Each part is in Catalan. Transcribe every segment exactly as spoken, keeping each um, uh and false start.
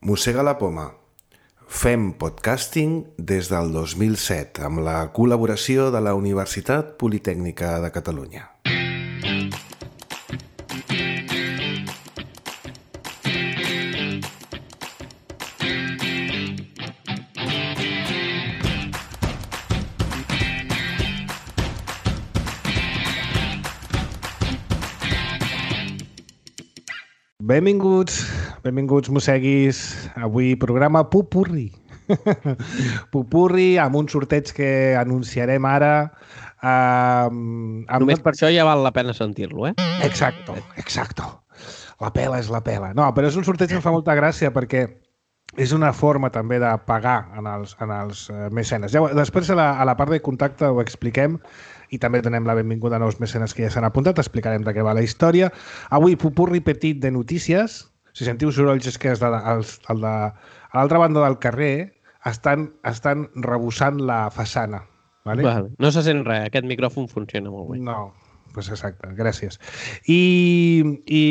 Mossega la poma. Fem podcasting des del dos mil set amb la col·laboració de la Universitat Politècnica de Catalunya. Benvinguts, benvinguts mosseguis. Avui programa Pupurri. Pupurri amb un sorteig que anunciarem ara. Um, amb Només una... per això ja val la pena sentir-lo, eh? Exacto, exacto. La pela és la pela. No, però és un sorteig que em fa molta gràcia perquè és una forma també de pagar en els, en els mecenes. Ja, després a la, a la part de contacte ho expliquem i també donem la benvinguda a nous mecenes que ja s'han apuntat. Explicarem de què va la història. Avui, pupurri petit de notícies. Si sentiu sorolls és que és de, els, el de, a l'altra banda del carrer estan, estan rebussant la façana. Vale? Vale. No se sent res, aquest micròfon funciona molt bé. No, doncs exacte, gràcies. I, I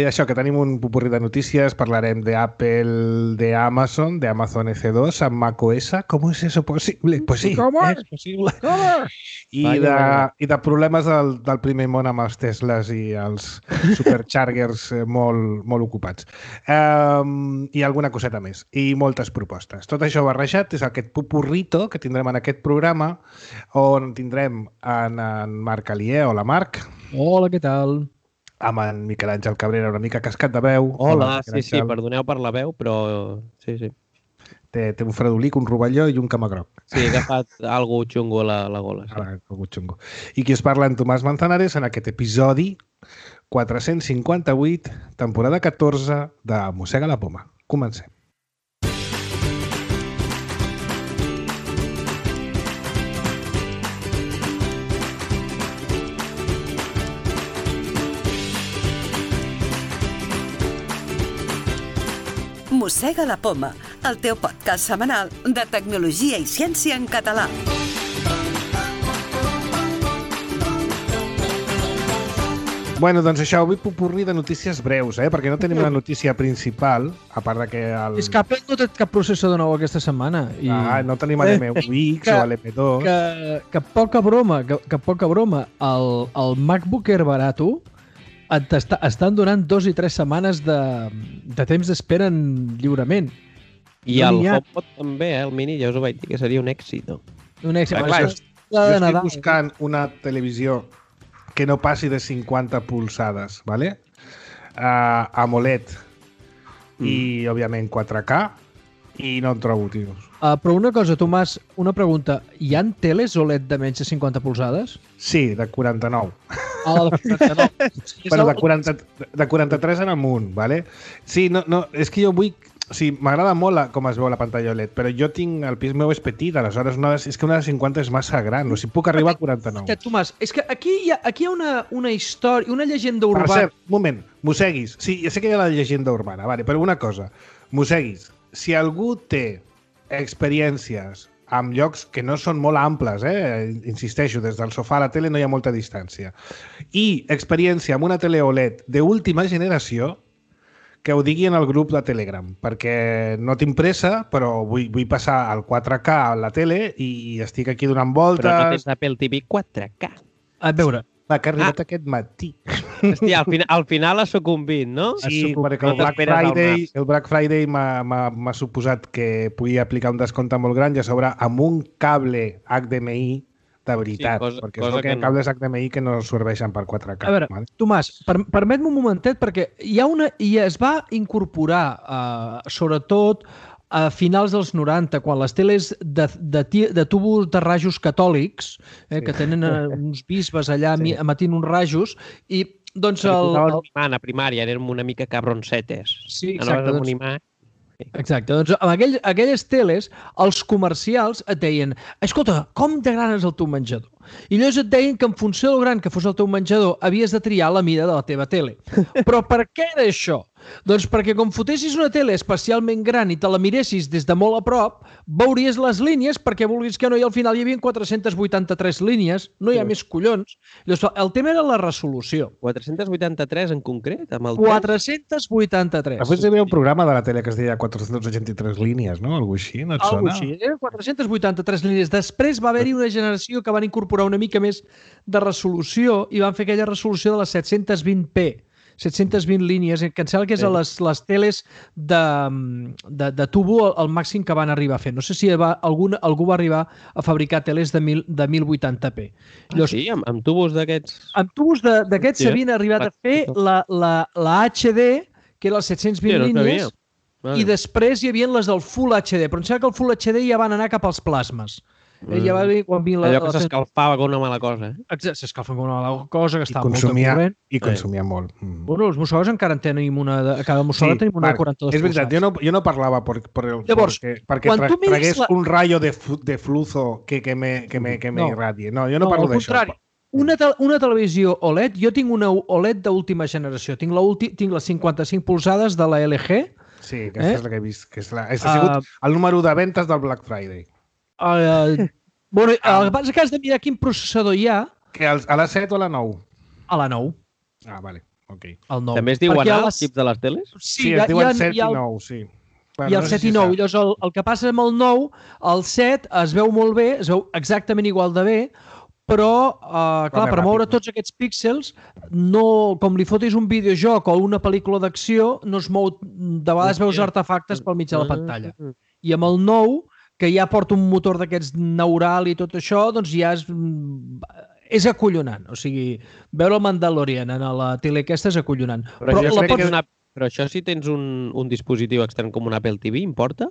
això, que tenim un pupurri de notícies, parlarem d'Apple, de Amazon, de Amazon E C dos, amb macOS. ¿Cómo es eso posible? Pues sí, ¿Cómo? és possible. ¿Cómo? I, Vaya, de, vaya. I de problemes del, del primer món amb els Teslas i els superchargers eh, molt, molt ocupats. Um, I alguna coseta més. I moltes propostes. Tot això barrejat és aquest pupurrito que tindrem en aquest programa, on tindrem en, en Marc Alier. Hola, Marc. Hola, què tal? Amb en Miquel Àngel Cabrera, una mica cascat de veu. Hola, Miquel sí, sí, Àngel. perdoneu per la veu, però sí, sí. Té, té un fredolic, un rovelló i un camagroc. Sí, he agafat algo xungo a la, la gola. Sí. Ara, algú xungo. I qui us parla, en Tomàs Manzanares, en aquest episodi quatre-cents cinquanta-vuit, temporada catorze de Mossega la poma. Comencem. Mossega la poma, el teu podcast setmanal de tecnologia i ciència en català. Bueno, doncs això, avui pupurri de notícies breus, eh? Perquè no tenim una notícia principal, a part de que... El... És que Apple no té cap processador nou aquesta setmana. I... Ah, no tenim l'M u X que, o l'M dos. Que, que poca broma, que, que poca broma. El, el MacBook Air barato et està, estan donant dos i tres setmanes de, de temps d'espera lliurement. I No el n'hi ha. HomePod també, eh? El mini, ja us ho vaig dir que seria un èxit, no? Un èxit. Clar, Això és jo la de estic Nadal. buscant una televisió que no passi de cinquanta polzades, ¿vale? Uh, AMOLED mm. i, òbviament, quatre K, i no en trobo, tios. Uh, però una cosa, Tomàs, una pregunta. Hi ha teles O L E D de menys de cinquanta polzades? Sí, de quaranta-nou. Ah, de quaranta-nou. És Bueno, el- de, quaranta, de quaranta-tres en amunt, ¿vale? Sí, no, no, és que jo vull... O sigui, m'agrada molt la, com es veu la pantalla O L E D, però jo tinc... El pis meu és petit, aleshores una, és que una de cinquanta és massa gran. O sigui, puc arribar a quaranta-nou. Que, Tomàs, és que aquí hi ha, aquí hi ha una, una història, una llegenda Per urbana. cert, un moment, mosseguis. Sí, ja sé que hi ha la llegenda urbana, vale, però una cosa. Mosseguis, si algú té experiències amb llocs que no són molt amples, eh? Insisteixo, des del sofà a la tele no hi ha molta distància, i experiència amb una tele O L E D d'última generació, que ho digui en el grup de Telegram, perquè no tinc pressa, però vull, vull passar al quatre K a la tele i estic aquí donant voltes. Però no tens Apple T V quatre K. A veure, Va, que ha arribat ah. aquest matí. Hòstia, al, final, al final ha sucumbit, no? Sí, sucumbit. perquè el No Black t'esperes al Friday, març. el Black Friday m'ha- m'ha m'ha suposat que podia aplicar un descompte molt gran i a sobre amb un cable H D M I de veritat, Sí, cosa- perquè cosa és el que hi que ha no. cables H D M I que no serveixen per quatre K. A veure, vale? Tomàs, per, permet-me un momentet, perquè hi ha una, i es va incorporar, eh, sobretot a finals dels noranta, quan les teles de, de, ti- de tubos de rajos catòlics, eh, Sí. que tenen eh, uns bisbes allà Sí. sí. emetint uns rajos, i doncs El, el, el, el... a primària, érem una mica cabroncetes. Sí, Anaves exacte, amb doncs- un imant. Exacte, doncs amb aquell, aquelles teles, els comercials et deien, escolta, com de gran és el teu menjador? I llavors et deien que en funció del gran que fos el teu menjador havies de triar la mida de la teva tele. Però per què era això? Doncs perquè com fotessis una tele especialment gran i te la miressis des de molt a prop, veuries les línies perquè vulguis que no, i al final hi havia quatre-centes vuitanta-tres línies, no hi ha més collons. Llavors, el tema era la resolució. quatre-centes vuitanta-tres en concret? Amb el quatre-centes vuitanta-tres. Després hi havia un programa de la tele que es deia quatre-centes seixanta-tres línies, no? Algo així, no et sona? Algo així, eren quatre-centes vuitanta-tres línies. Després va haver-hi una generació que van incorporar una mica més de resolució i van fer aquella resolució de les set-cents vint p. set-cents vint línies, que em sembla que és a les, les teles de, de, de tubo el, el màxim que van arribar a fer. No sé si va, algun, algú va arribar a fabricar teles de, mil, de mil vuitanta p. Ah, sí? Amb, amb tubos d'aquests? Amb tubos d'aquests s'havien sí. arribat a fer la, la, la H D, que era les set-cents vint sí, no línies, vale. I després hi havia les del Full H D, però em sembla que el Full H D ja van anar cap als plasmes. Mm. Ja va dir, quan vi la, allò que s'escalfava com una mala cosa. Eh? Exacte, s'escalfava com una mala cosa, que estava molt de corrent. I consumia eh. molt. Mm. Bueno, els mussoles encara en tenim una... De, a cada mussola sí, tenim una de quaranta-dos és veritat, jo no, jo no parlava per, per el, Llavors, perquè, perquè tra, tragués la... un rayo de, de flujo que, que me, que me, que me no. irradie. No, jo no, no parlo d'això. Una, te una televisió O L E D, jo tinc una O L E D d'última generació. Tinc, la tinc les cinquanta-cinc polzades de la L G. Sí, aquesta eh? és la que he vist. Que és la, és, ha sigut uh, el número de ventes del Black Friday. Uh, Bueno, el que passa és que has de mirar quin processador hi ha. Que a la set o a la nou? A la nou. Ah, vale. Okay. El nou. També es diuen els les... xips de les teles? Sí, sí es diuen set i nou, sí. Bueno, I el no set i nou. I llavors el, el que passa amb el nou, el set es veu molt bé, es veu exactament igual de bé, però, uh, clar, per moure tots aquests píxels, no, com li fotis un videojoc o una pel·lícula d'acció, no es mou, de vegades veus artefactes pel mig de la pantalla. I amb el nou, que ja porta un motor d'aquests neural i tot això, doncs ja és, és acollonant. O sigui, veure el Mandalorian en la tele aquesta és acollonant. Però, però, això, pots... una... però això si tens un, un dispositiu extern com un Apple T V, importa?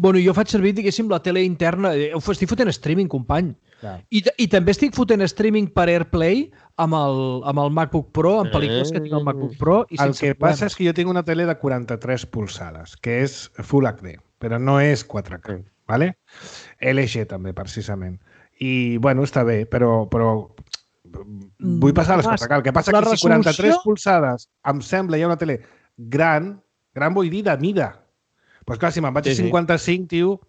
Bueno, jo faig servir, diguéssim, la tele interna. Estic fotent streaming, company. Ja. I, I també estic fotent streaming per AirPlay amb el, amb el MacBook Pro, amb pel·lícules que tinc al MacBook Pro. I el que problemes. Passa és que jo tinc una tele de quaranta-tres polzades, que és Full H D, però no és quatre K. Vale? L G també, precisament. I, bueno, està bé, però, però vull passar a les quatre K. El que passa és que resolució... si quaranta-tres polzades em sembla ja una tele gran, gran vull dir de mida. Doncs pues clar, si me'n vaig a cinquanta-cinc, tio,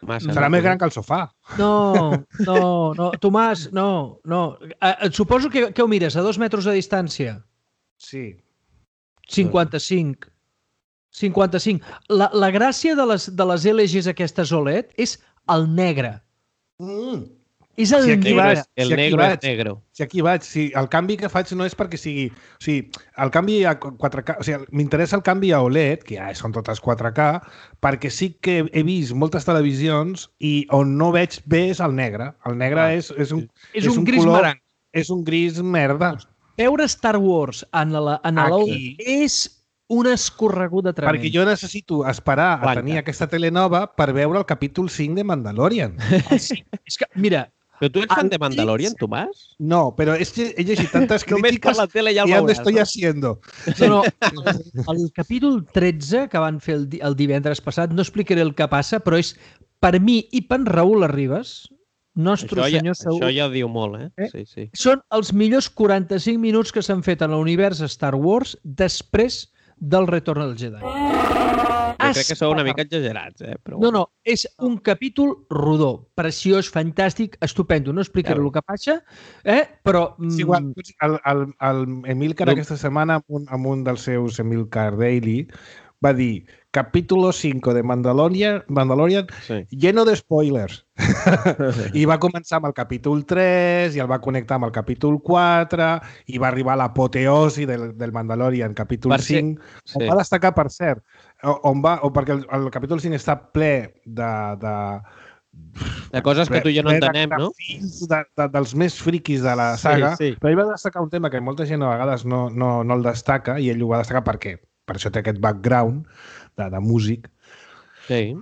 massa, serà no, més gran que el sofà. No, no, no. Tomàs, no, no. Et suposo que, que ho mires a dos metres de distància. Sí. cinquanta-cinc. cinquanta-cinc. La, la gràcia de les, de les L Gs aquestes O L E D és el negre. Mm. És el si aquí negre. Vaig, el si negre vaig, és negre. Si aquí vaig, si el canvi que faig no és perquè sigui... O sigui, el canvi a quatre K... O sigui, m'interessa el canvi a O L E D, que ja són totes quatre K, perquè sí que he vist moltes televisions i on no veig bé és el negre. El negre ah, és, és un, és un, un gris color, marang. És un gris merda. Veure Star Wars en la en l'O L E D és un escorregut tremend. Perquè jo necessito esperar Blanca. a tenir aquesta tele nova per veure el capítol cinc de Mandalorian. Ah, sí. És que, mira... Però tu ets fan de Mandalorian, Tomàs? No, però és que he llegit tantes crítiques la tele ja, ja me estoy haciendo. No, no, el, el capítol tretze que van fer el, el divendres passat, no explicaré el que passa, però és per mi i per Raül Arribas, nostre això senyor ja, Saúl. Això ja diu molt, eh? eh? Sí, sí. Són els millors quaranta-cinc minuts que s'han fet en l'univers Star Wars després del Retorn del Jedi. Jo crec que sou una mica exagerats, eh? Però... No, no, és un capítol rodó, preciós, fantàstic, estupendo. No explicaré ja el que passa, eh? Però... Sí, igual, el, el, el Emilcar no. aquesta setmana, amb un, amb un dels seus Emilcar Daily, va dir capítulo cinco de Mandalorian, Mandalorian sí. lleno de spoilers. I va començar amb el capítol tres i el va connectar amb el capítol quatre i va arribar a l'apoteosi del, del Mandalorian, capítol per cinc. Sí. On va destacar, per cert, on va, o perquè el, el capítol cinc està ple de... de de coses que tu i jo no entenem, de, no? De, de, dels més friquis de la saga, sí, sí. Però ell va destacar un tema que molta gent a vegades no, no, no el destaca i ell ho va destacar per què? Per això té aquest background de, de músic. Sí.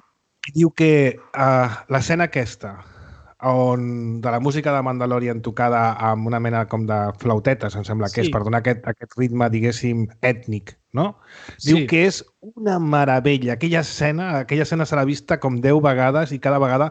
I diu que uh, l'escena aquesta, on de la música de Mandalorian tocada amb una mena com de flautetes, em sembla que sí. és, per donar aquest, aquest ritme, diguéssim, ètnic, no? Diu sí. que és una meravella. Aquella escena, aquella escena serà vista com deu vegades i cada vegada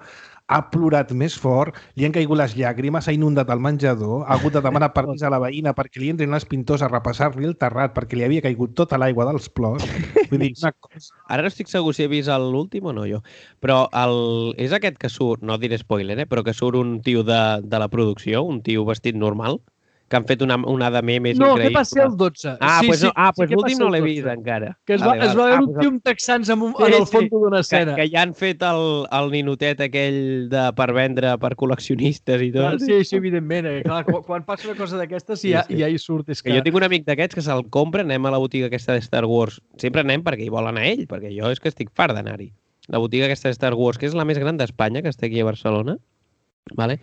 ha plorat més fort, li han caigut les llàgrimes, s'ha inundat el menjador, ha hagut de demanar permís a la veïna perquè li entrin els pintors a repassar-li el terrat perquè li havia caigut tota l'aigua dels plors. Vull dir, una cosa... Ara no estic segur si he vist l'últim o no, jo. Però el... és aquest que surt, no diré spoiler, eh? Però que surt un tio de, de la producció, un tio vestit normal, que han fet una, una de memes no, increïble. No, que va ser el dotze. Ah, sí, pues, sí, no, ah, sí, pues que l'últim no l'he vist encara. Que es va, vale, es va veure ah, un tio amb texans en, un, sí, en el fons sí. d'una escena. Que, que ja han fet el, el ninotet aquell de, per vendre per col·leccionistes i tot. Ah, sí, sí, evidentment. Eh? Clar, quan, quan passa una cosa d'aquestes ja, sí, sí. ja hi surt. És que... que jo tinc un amic d'aquests que se'l compra, anem a la botiga aquesta de Star Wars. Sempre anem perquè hi vol anar ell, perquè jo és que estic fart d'anar-hi. La botiga aquesta de Star Wars, que és la més gran d'Espanya, que està aquí a Barcelona. Vale?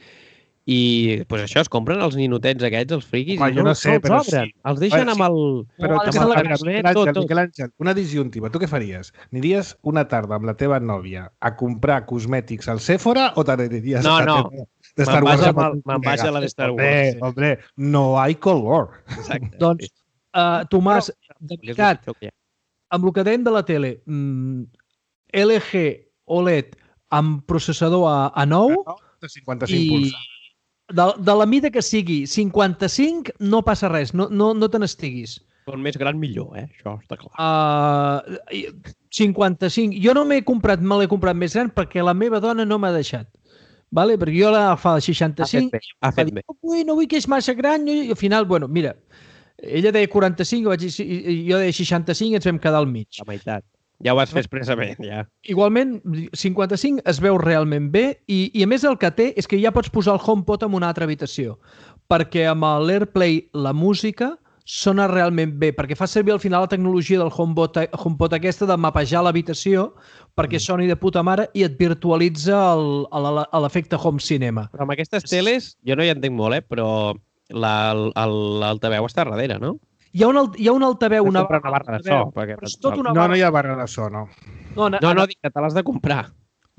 I pues això, es compren els ninotets aquests, els friquis, Home, i no, no sé, no els però obren. Sí. Els deixen Però, amb el... Però, amb amb el la carnet, tot, tot. Miquel Àngel, una disjuntiva. Tu què faries? Aniries una tarda amb la teva nòvia a comprar cosmètics al Sephora o t'aniries no, a no. de Star Wars? Me'n vaig a la de Star Wars. Hombre, sí. hombre, no hay color. Exacte. Doncs, uh, Tomàs, de veritat, amb el que dèiem de la tele, mm, L G O L E D amb processador a, a nou de cinquanta-cinc i polzades. de, de la mida que sigui, cinquanta-cinc no passa res, no, no, no te n'estiguis. Com més gran millor, eh? Això està clar. Uh, cinquanta-cinc. Jo no m'he comprat, me l'he comprat més gran perquè la meva dona no m'ha deixat. Vale? Perquè jo la fa seixanta-cinc. Ha fet bé. Ha fet bé. No vull, no vull que és massa gran. I al final, bueno, mira, ella deia quaranta-cinc, vaig dir, jo deia seixanta-cinc i ens vam quedar al mig. La meitat. Ja ho vas fer expressament, ja. Igualment, cinquanta-cinc es veu realment bé i, i a més el que té és que ja pots posar el HomePod en una altra habitació perquè amb l'AirPlay la música sona realment bé, perquè fa servir al final la tecnologia del HomePod, HomePod aquesta de mapejar l'habitació perquè soni de puta mare i et virtualitza l'efecte home cinema. Però amb aquestes teles, jo no hi entenc molt, eh? Però l'altaveu està darrere, no? Hi ha un, alt, hi ha un altaveu, una, una barra de so. Perquè... Tot una no, barra... no hi ha barra de so, no. No, no, no dic que te l'has de comprar.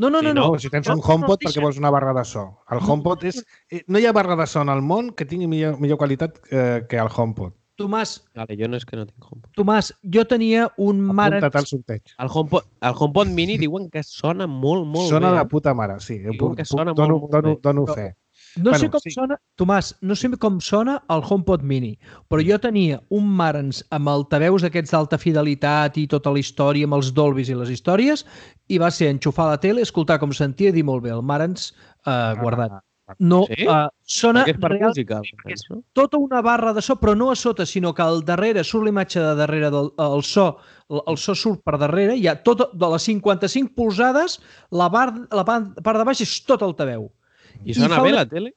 No, no, no. Sí, no. no. Si tens un HomePod, perquè vols una barra de so. El HomePod és... No hi ha barra de so en el món que tingui millor, millor qualitat eh, que el HomePod. Tomàs, vale, jo no és que no tinc HomePod. Tomàs, jo tenia un mare... Apunta't al sorteig. El HomePod, el HomePod Mini diuen que sona molt, molt sona bé. Sona de puta mare, sí. Diuen que sona dono, molt, molt dono, bé. dono fe. No bueno, sé com sí. sona, Tomàs, no sé com sona el HomePod Mini, però jo tenia un Marantz amb altaveus aquests d'alta fidelitat i tota la història, amb els Dolbys i les històries, i va ser enxufar la tele, escoltar com sentia i dir molt bé, el Marantz eh, guardat. No, Sí? eh, sona Perquè és per real- música. és tota una barra de so, però no a sota, sinó que al darrere surt l'imatge de darrere del el so, el, el so surt per darrere, hi ha tot, de les cinquanta-cinc polzades, la, bar, la part de baix és tot altaveu. I sona fa bé una- la tele?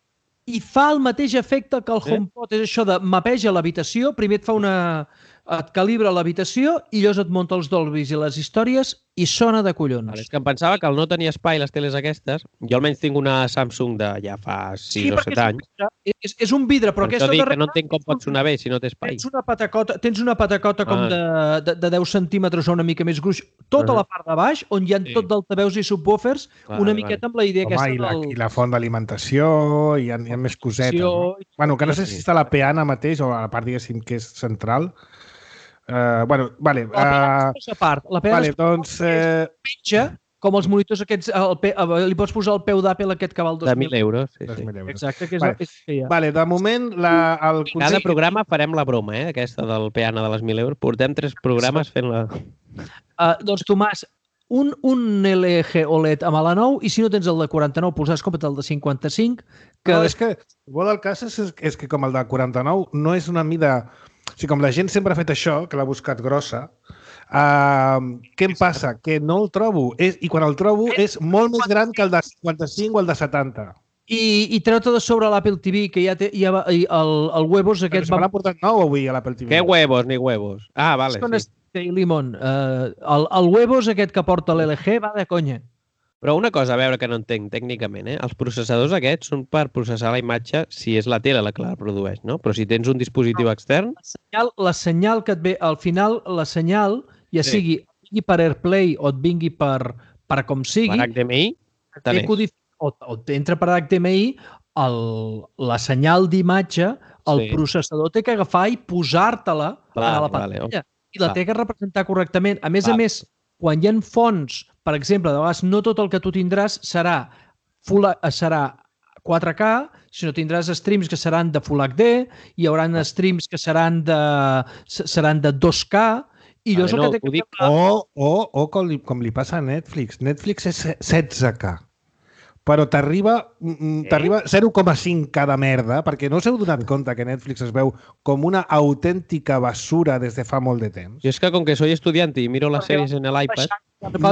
I fa el mateix efecte que el Sí? HomePod, és això de mapeja l'habitació, primer et fa una... et calibra l'habitació i llavors et munta els Dolbys i les històries i sona de collons. Vale, és que em pensava que al no tenir espai les teles aquestes, jo almenys tinc una Samsung de ja fa sis o perquè set anys, és un vidre, és, és un vidre, però per aquesta això dic que darrere no entenc com pot sonar bé si no té espai. tens una patacota, tens una patacota com Ah. de, de, de deu centímetres o una mica més gruix, tota Ah. la part de baix, on hi ha Sí. tot d'altaveus i subwoofers, Vale, una vale. miqueta amb la idea Home, aquesta i, la, del... i la font d'alimentació, hi ha, hi ha més cosetes. No? Bueno, que no sé si està a la peana mateix o a la part, diguéssim, que és central. Uh, bueno, vale. La peana Uh, és a part. La peana vale, és doncs... Eh, pitja, com els monitors aquests, el pe, li pots posar el peu d'Apple aquest que val dos De mil. mil euros. Sí, dos sí. mil euros. Exacte, que és, Vale. és que hi ha. Vale, de moment, la, el I cada consell... programa farem la broma, eh? Aquesta del peana de les mil euros. Portem tres programes fent la... Uh, doncs, Tomàs, un, un L G O L E D amb la nou, i si no tens el de quaranta-nou, polzades, compra't el de cinquanta-cinc, que... No, és que, bo del cas és, és que com el de quaranta-nou no és una mida... O sigui, com la gent sempre ha fet això, que l'ha buscat grossa, uh, què em passa? Que no el trobo. És, I quan el trobo és molt més gran que el de cinquanta-cinc o el de setanta. I, i treu-te de sobre l'Apple T V, que ja té ja va, i el, el Huevos Però aquest... se me l'ha portat nou avui a l'Apple T V. Què huevos ni huevos? Ah, vale, Vale, sí. Limon. Uh, el, el Huevos aquest que porta l'L G va de conya. Però una cosa, a veure, que no entenc tècnicament, eh? Els processadors aquests són per processar la imatge si és la tele la que la produeix, no? Però si tens un dispositiu extern... La senyal, la senyal que et ve, al final, la senyal, ja Sí. sigui, vingui per AirPlay o et vingui per, per com sigui, Per H D M I, té codifi- o, o t'entra per H D M I, el, la senyal d'imatge, el Sí. processador té que agafar i posar-te-la Vale, a la vale, pantalla. I la Val. té que representar correctament. A més Val. a més, quan hi ha fonts, per exemple, de vegades no tot el que tu tindràs serà full, serà quatre K, sinó tindràs streams que seran de Full H D, hi haurà streams que seran de, seran de dos K, i allò és el no, que té que dic... fer... O, o, o com, li, com li passa a Netflix. Netflix és setze K. Però t'arriba t'arriba zero coma cinc cada merda, perquè no us heu donat compte que Netflix es veu com una autèntica basura des de fa molt de temps. Jo és que com que soy estudiante i miro les sèries en l'iPad...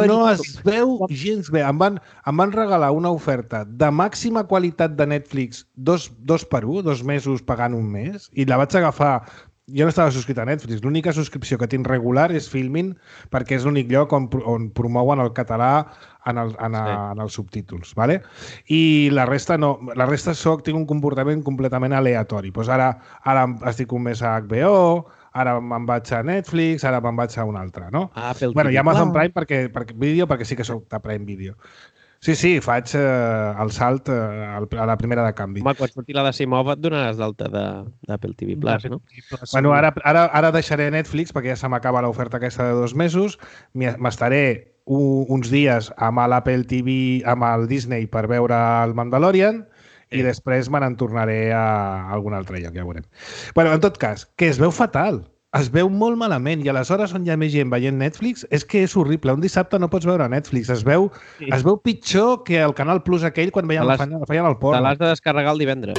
No es veu gens bé. Em van, em van regalar una oferta de màxima qualitat de Netflix dos, dos per un, dos mesos pagant un mes, i la vaig agafar. Jo no estava subscrit a Netflix. L'única subscripció que tinc regular és Filmin, perquè és l'únic lloc on, on promouen el català en, el, en, a, sí. en els subtítols. ¿vale? I la resta no. La resta soc, tinc un comportament completament aleatori. Pues ara, ara estic un mes a H B O, ara me'n vaig a Netflix, ara me'n vaig a un altre, no? Ah, Apple bueno, T V. i Amazon Prime perquè, perquè, vídeo, perquè sí que soc de Prime Video. Sí, sí, faig eh, el salt eh, a la primera de canvi. Home, quan surti la d'Asimov et donaràs d'alta d'Apple T V Plus, no? Bueno, ara, ara, ara deixaré Netflix perquè ja se m'acaba l'oferta aquesta de dos mesos. M'estaré uns dies amb l'Apple T V, amb el Disney per veure el Mandalorian i després me n'en tornaré a algun altre lloc, ja veurem. Bueno, en tot cas, que es veu fatal. Es veu molt malament i aleshores on hi ha més gent veient Netflix és que és horrible. Un dissabte no pots veure Netflix. Es veu, sí. es veu pitjor que el Canal Plus aquell quan veiem, feien el porno. Te l'has de descarregar el divendres.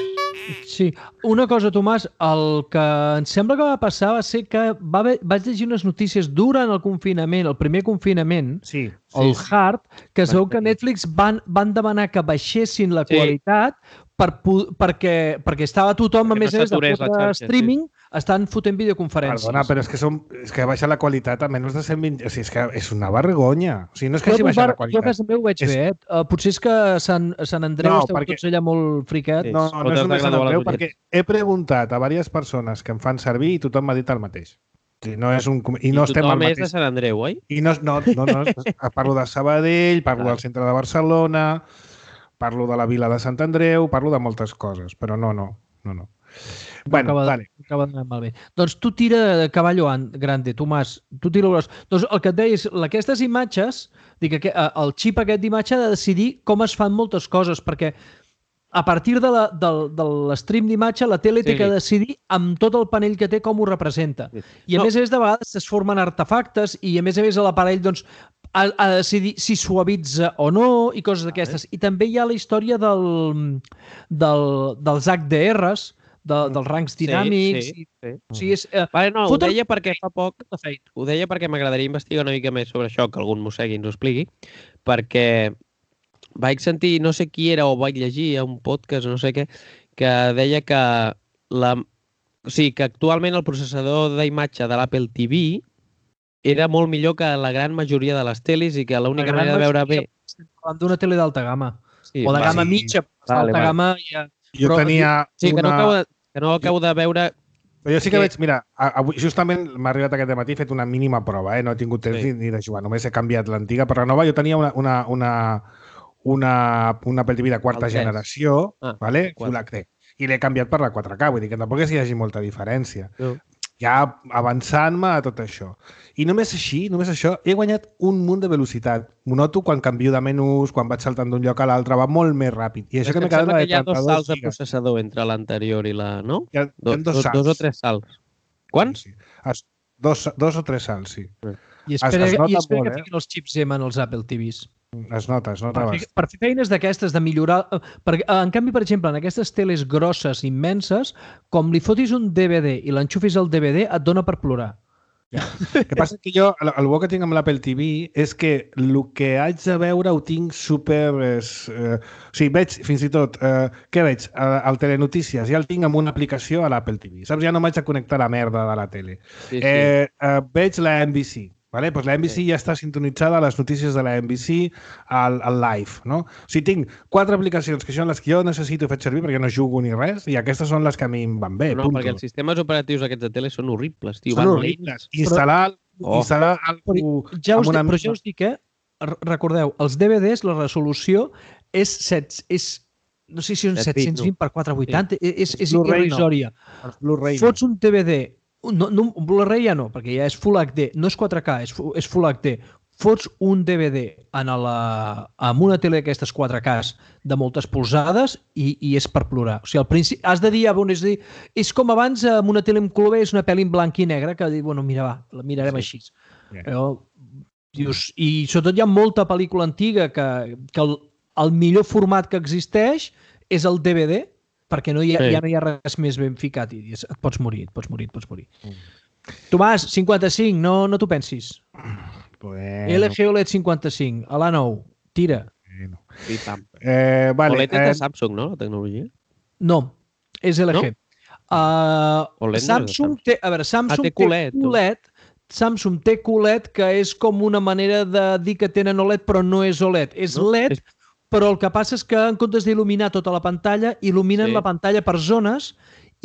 Sí. Una cosa, Tomàs, el que em sembla que va passar va ser que va haver, vaig llegir unes notícies durant el confinament, el primer confinament, sí, el sí, hard, que es veu que Netflix van, van demanar que baixessin la sí. qualitat per, perquè, perquè estava tothom, a més a més, de fotre streaming, sí. estan fotent videoconferències. Perdona, però és que, som, és que baixa la qualitat a menys de cent vint... O sigui, és que és una vergonya. O sigui, no és que hagi baixat la qualitat. Jo a casa meu ho veig és... bé, eh? Uh, potser és que a Sant, a Sant Andreu no, esteu perquè... tots allà molt friquets. No, no, no és només Sant Andreu, perquè he preguntat a diverses persones que em fan servir i tothom m'ha dit el mateix. Sí, no és un... I, no I estem tothom al és de Sant Andreu, oi? I no, no, no, no, no parlo de Sabadell, parlo ah. del centre de Barcelona, parlo de la vila de Sant Andreu, parlo de moltes coses, però no, no, no, no. Bueno, acaba, vale. acaba d'anar malbé. Doncs tu tira de caballo grande, Tomàs. Tu tira gros. Doncs el que et deia és, aquestes imatges, dic, el xip aquest d'imatge ha de decidir com es fan moltes coses, perquè a partir de l'estream d'imatge la tele sí. té que decidir amb tot el panell que té com ho representa. Sí. I a no. més a més de vegades es formen artefactes i a més a més l'aparell doncs, ha, ha de decidir si suavitza o no i coses d'aquestes. I també hi ha la història del, del, dels H D Rs, de, dels rangs dinàmics. Sí, sí, sí. O sigui, és, eh, vale, no, ho deia perquè fa poc, ho deia perquè m'agradaria investigar una mica més sobre això, que algun mossegui ens ho expliqui, perquè vaig sentir, no sé qui era, o vaig llegir a un podcast, no sé què, que deia que, la, o sigui, que actualment el processador d'imatge de l'Apple T V era molt millor que la gran majoria de les teles i que l'única manera de veure bé... Estem parlant d'una tele d'alta gamma. Sí, o de gamma sí. mitja, vale, d'alta vale. gamma... Ja... Jo Però, tenia sí, que una... no acabo de, que no acabo de veure... Però jo sí que, que... veig, mira, avui, justament m'ha arribat aquest matí, he fet una mínima prova, eh? No he tingut temps sí. ni de jugar, només he canviat l'antiga per renova. Jo tenia una, una, una, una, una Apple T V de quarta generació, ah, vale? Full H D, i l'he canviat per la quatre K, vull dir que tampoc és que hi hagi molta diferència. No. Ja avançant-me a tot això. I només així, només això, he guanyat un munt de velocitat. M'ho noto quan canvio de menús, quan vaig saltant d'un lloc a l'altre, va molt més ràpid. I això que m'he quedat que hi ha dos salts de processador entre l'anterior i la... No? Hi ha, Do, hi ha dos, dos, dos o tres salts. Quants? Sí, sí. Dos, dos o tres salts, sí. I espera, es, es i espera molt, que fiquin els xips M en els Apple T Vs. Es nota, es nota. Per fer, per fer feines d'aquestes, de millorar... Per, en canvi, per exemple, en aquestes teles grosses, immenses, com li fotis un D V D i l'enxufis al D V D, et dona per plorar. Ja. El que passa que jo, el, el bo que tinc amb l'Apple T V és que el que haig de veure ho tinc super... És, eh, o sigui, veig fins i tot... Eh, què veig? Al Telenotícies ja el tinc amb una aplicació a l'Apple T V. Saps? Ja no m'haig de connectar la merda de la tele. Sí, sí. Eh, eh, veig la N B C. Vale? Pues la N B C sí. ja està sintonitzada a les notícies de la N B C al, al live, no? O sigui, tinc quatre aplicacions que són les que jo necessito i faig servir perquè no jugo ni res i aquestes són les que a mi em van bé. No, punto. Perquè els sistemes operatius aquests de tele són horribles, tio. Són horribles. Instal·lar, oh. instal·lar algú ja us amb una... Però ja us dic, eh? Recordeu, els D V Ds, la resolució és... set, és no sé si són set-cents vint per quatre vuitanta, sí. és, és irrisòria. No. Fots un D V D No, no, un Blu-ray ja no, perquè ja és Full H D, no és quatre K, és, és Full H D. fots un D V D en la, amb una tele d'aquestes quatre K de moltes polzades i, i és per plorar. O sigui, al principi has de dir, bon, és, dir, és com abans amb una tele en color és una pel·li en blanc i negre que dir, bueno, mira, va, la mirarem sí. així. Yeah. Però, dius, i sobretot hi ha molta pel·lícula antiga que, que el, el millor format que existeix és el D V D, perquè no hi ha, sí. ja no hi ha res més ben ficat i et pots morir, et pots morir, et pots morir. Mm. Tomàs, cinquanta-cinc, no, no t'ho pensis. Bueno. L G O L E D cinquanta-cinc, a l'A nou, tira. Bueno. Eh, vale, O L E D és de Samsung, no, la tecnologia? No, és L G. No? Uh, Samsung, Samsung té, a veure, Samsung ah, té culet, té culet, Samsung té culet que és com una manera de dir que tenen O L E D, però no és O L E D, és no? L E D, és... però el que passa és que en comptes d'il·luminar tota la pantalla, il·luminen sí. la pantalla per zones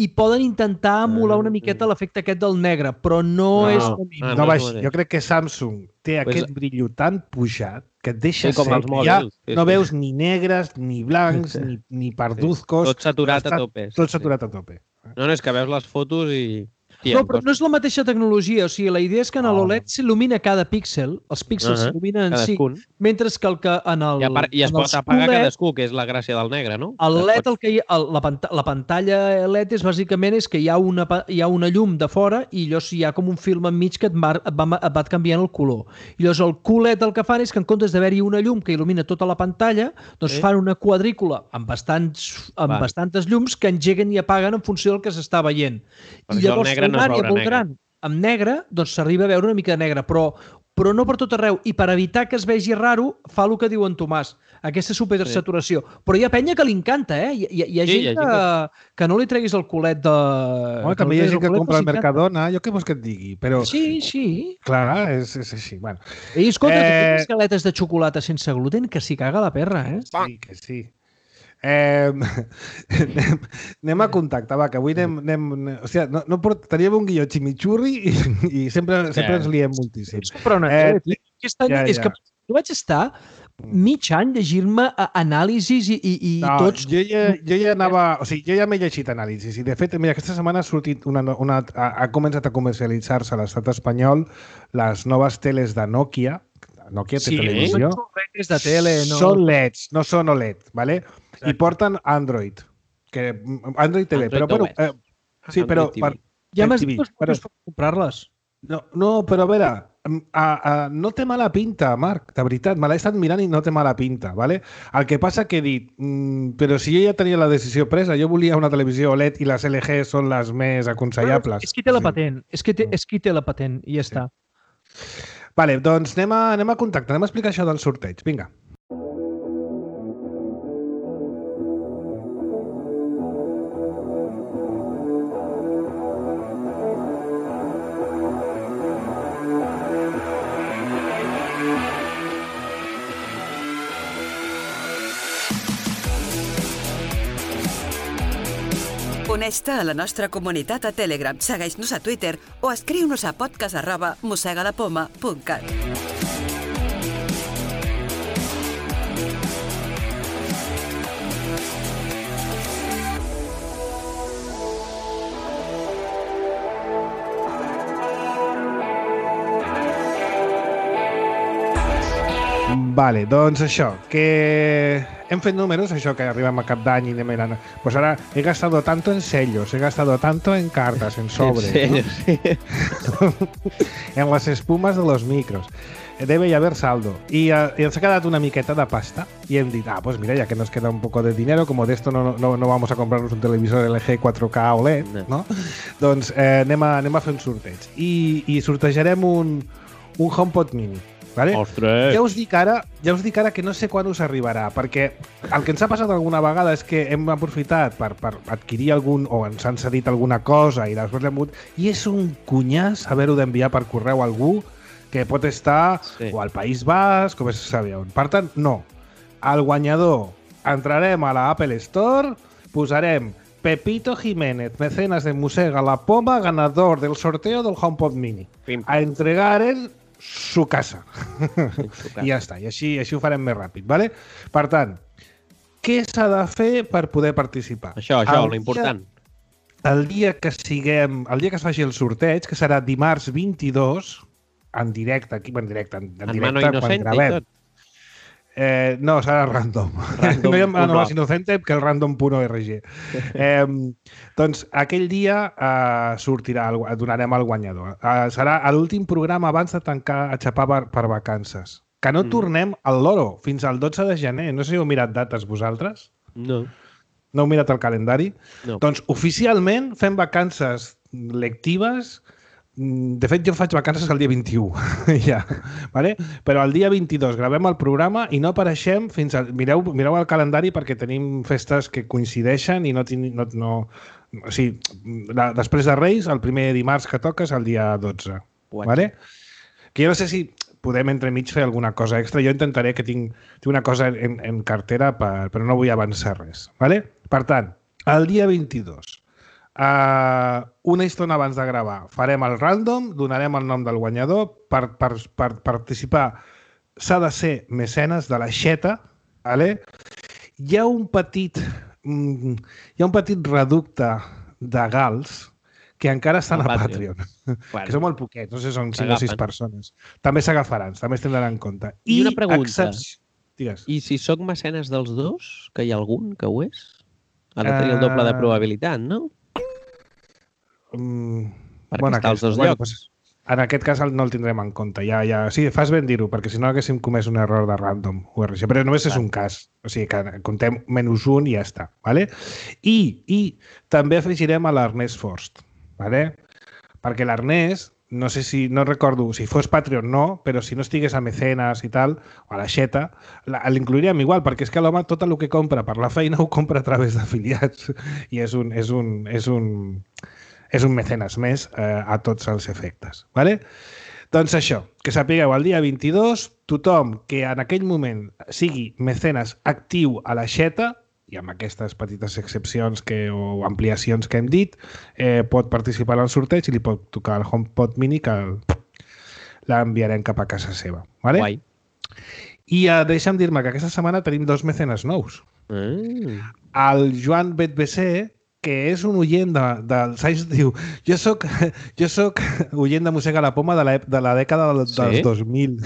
i poden intentar emular una miqueta l'efecte aquest del negre, però no, no és... Ah, no, baix, jo crec que Samsung té pues... aquest brillo tan pujat que et deixa sí, com ser... els mòbils. Ja sí, no sí. veus ni negres, ni blancs, ni, ni parduzcos... Sí. Tot saturat a tope. Tot saturat sí. a tope. No, no, és que veus les fotos i... No, però no és la mateixa tecnologia. O sigui, la idea és que en l'O L E D s'il·lumina cada píxel, els píxels uh -huh. s'il·luminen en si, mentre que el que en el... I, part, i es pot apagar Q L E D, cadascú, que és la gràcia del negre, no? El L E D, el que hi ha, el, la, pant la pantalla L E D és bàsicament és que hi ha, una, hi ha una llum de fora i llavors hi ha com un film enmig que et, mar, et, va, et va canviant el color. I llavors el Q L E D el que fan és que en comptes d'haver-hi una llum que il·lumina tota la pantalla, doncs sí. fan una quadrícula amb, bastants, amb bastantes llums que engeguen i apaguen en funció del que s'està veient. Per I llavors l'àrea no molt gran amb negre, doncs s'arriba a veure una mica de negre, però, però no per tot arreu. I per evitar que es vegi raro, fa el que diu en Tomàs, aquesta supersaturació. Sí. Però hi ha penya que li encanta, eh? Hi, hi, hi ha sí, gent, hi ha gent que, que no li treguis el culet de... Home, també hi ha gent que compra al Mercadona, jo què vols que et digui, però... Sí, sí. Clar, és, és així. Bueno. I escolta, eh... que galetes de xocolata sense gluten, que s'hi caga la perra, eh? Sí, que sí. Eh, anem, anem a contactar, va, que avui anem... anem o sigui, no, no port, teníem un guió ximichurri i, i sempre, sempre ens liem moltíssim. Però no, eh, aquest any ja, ja. és que jo vaig estar mig any llegir-me anàlisis i, i, i no, tots... Jo ja, jo ja anava... O sigui, jo ja m'he llegit anàlisis i, de fet, mira, aquesta setmana ha sortit una... una ha, ha començat a comercialitzar-se a l'estat espanyol les noves teles de Nokia. Nokia té sí, televisió. Són xurretes de tele, no... Són L E Ds, no són O L E D, ¿vale? Exacte. I porten Android. Que Android T V, Android però... però eh, sí, però... Per, ja m'has dit que es pot comprar-les. No, no, però a veure, a, a, no té mala pinta, Marc, de veritat, me l'he estat mirant i no té mala pinta, ¿vale? El que passa que he dit, mmm, però si jo ja tenia la decisió presa, jo volia una televisió O L E D i les L G són les més aconsellables. Ah, és qui té la patent, és qui té, és qui té la patent i ja està. Vale, doncs anem a, anem a contactar, anem a explicar això del sorteig. Vinga. Uneix-te a la nostra comunitat a Telegram, segueix-nos a Twitter o escriu-nos a podcast arroba mossegadapoma punt cat. Vale, doncs això, que hem fet números, això que arribem a cap d'any i anem mirant. Pues ara he gastado tanto en sellos, he gastado tanto en cartas, en sobres, en, sellos, ¿no? Sí. En las espumas de los micros. Debe haber saldo. Y, uh, y ens ha quedat una miqueta de pasta y hem dit, ah, pues mira, ya que nos queda un poco de dinero, como de esto no, no, no vamos a comprarnos un televisor L G cuatro K O L E D, no? Doncs eh, anem, a, anem a fer un sorteig. I, i sortejarem un, un HomePod Mini. Vale? Ostres! Ja us dic ara, ja us dic ara que no sé quan us arribarà, perquè el que ens ha passat alguna vegada és que hem aprofitat per, per adquirir algun, o ens han cedit alguna cosa i després l'hem hagut, i és un cunyàs haver-ho d'enviar per correu a algú que pot estar sí. o al País Basc, o bé se sabe on. Per tant, no. Al guanyador entrarem a la Apple Store, posarem Pepito Jiménez, mecenas de Mossega la Poma, ganador del sorteo del HomePod Mini. Pim. A entregar en su casa. I ja està. I així, així ho farem més ràpid, ¿vale? Per tant, què s'ha de fer per poder participar? Això, això, el l'important. El dia que siguem, el dia que es faci el sorteig, que serà dimarts vint-i-dos, en directe, aquí, en directe, en, en, En directe, mano quan inocente i gravem. tot. Eh, no, serà random. Random no hi ha mano punt más inocente que el random punt org. eh, doncs aquell dia eh, sortirà, el, donarem el guanyador. Eh, serà l'últim programa abans de tancar a xapar per, per vacances. Que no Mm. tornem al Loro fins al dotze de gener. No sé si heu mirat dates vosaltres. No. No heu mirat el calendari? No. Doncs oficialment fem vacances lectives. De fet, jo faig vacances el dia vint-i-u, ja, vale? Però el dia vint-i-dos gravem el programa i no apareixem fins al... Mireu, mireu el calendari perquè tenim festes que coincideixen i no... no, no o sigui, la, després de Reis, el primer dimarts que toca és el dia dotze. Guatxa. Vale? Que jo no sé si podem entremig fer alguna cosa extra. Jo intentaré que tinc, tinc una cosa en, en cartera, per, però no vull avançar res. Vale? Per tant, el dia vint-i-dos, Uh, una estona abans de gravar farem el random, donarem el nom del guanyador. Per, per, per participar s'ha de ser mecenes de la xeta, vale? Hi ha un petit mm, hi ha un petit reducte de gals que encara estan El a Patreon. Patreon, Bueno. que són molt poquets, no sé, són cinc o sis S'agafen. persones. També s'agafaran, també es tindran en compte. I una pregunta. Excepci... Digues. I si sóc mecenes dels dos, que hi ha algun que ho és? Ha de tenir el doble de Eh, probabilitat, no? Mm, Perquè està als dos bueno, llocs. Pues, en aquest cas el- no el tindrem en compte. Ja, ja... Sí, fas ben dir-ho, perquè si no haguéssim comès un error de random U R G. Però només és Clar. un cas. O sigui que comptem menys un i ja està. Vale? I, I també afegirem a l'Ernest Forst. Vale? Perquè l'Ernest, no sé si, no recordo, si fos Patreon no, però si no estigués a Mecenes i tal, o a la Xeta, la- l'inclouríem igual, perquè és que l'home tot el que compra per la feina ho compra a través d'afiliats. I és un, és un, és un, és un mecenes més eh, a tots els efectes. Vale? Doncs això, que sapigueu, el dia vint-i-dos, tothom que en aquell moment sigui mecenes actiu a la Xeta, i amb aquestes petites excepcions que, o ampliacions que hem dit, eh, pot participar al sorteig i li pot tocar el HomePod Mini que el- l'enviarem cap a casa seva. Vale? Guai. I eh, deixa'm dir-me que aquesta setmana tenim dos mecenes nous. Ah. El Joan Betbc, que és un oient de, del Sais, diu jo soc, jo soc oient de Mossega la Poma de la, de la dècada del, Sí? dels dos mil.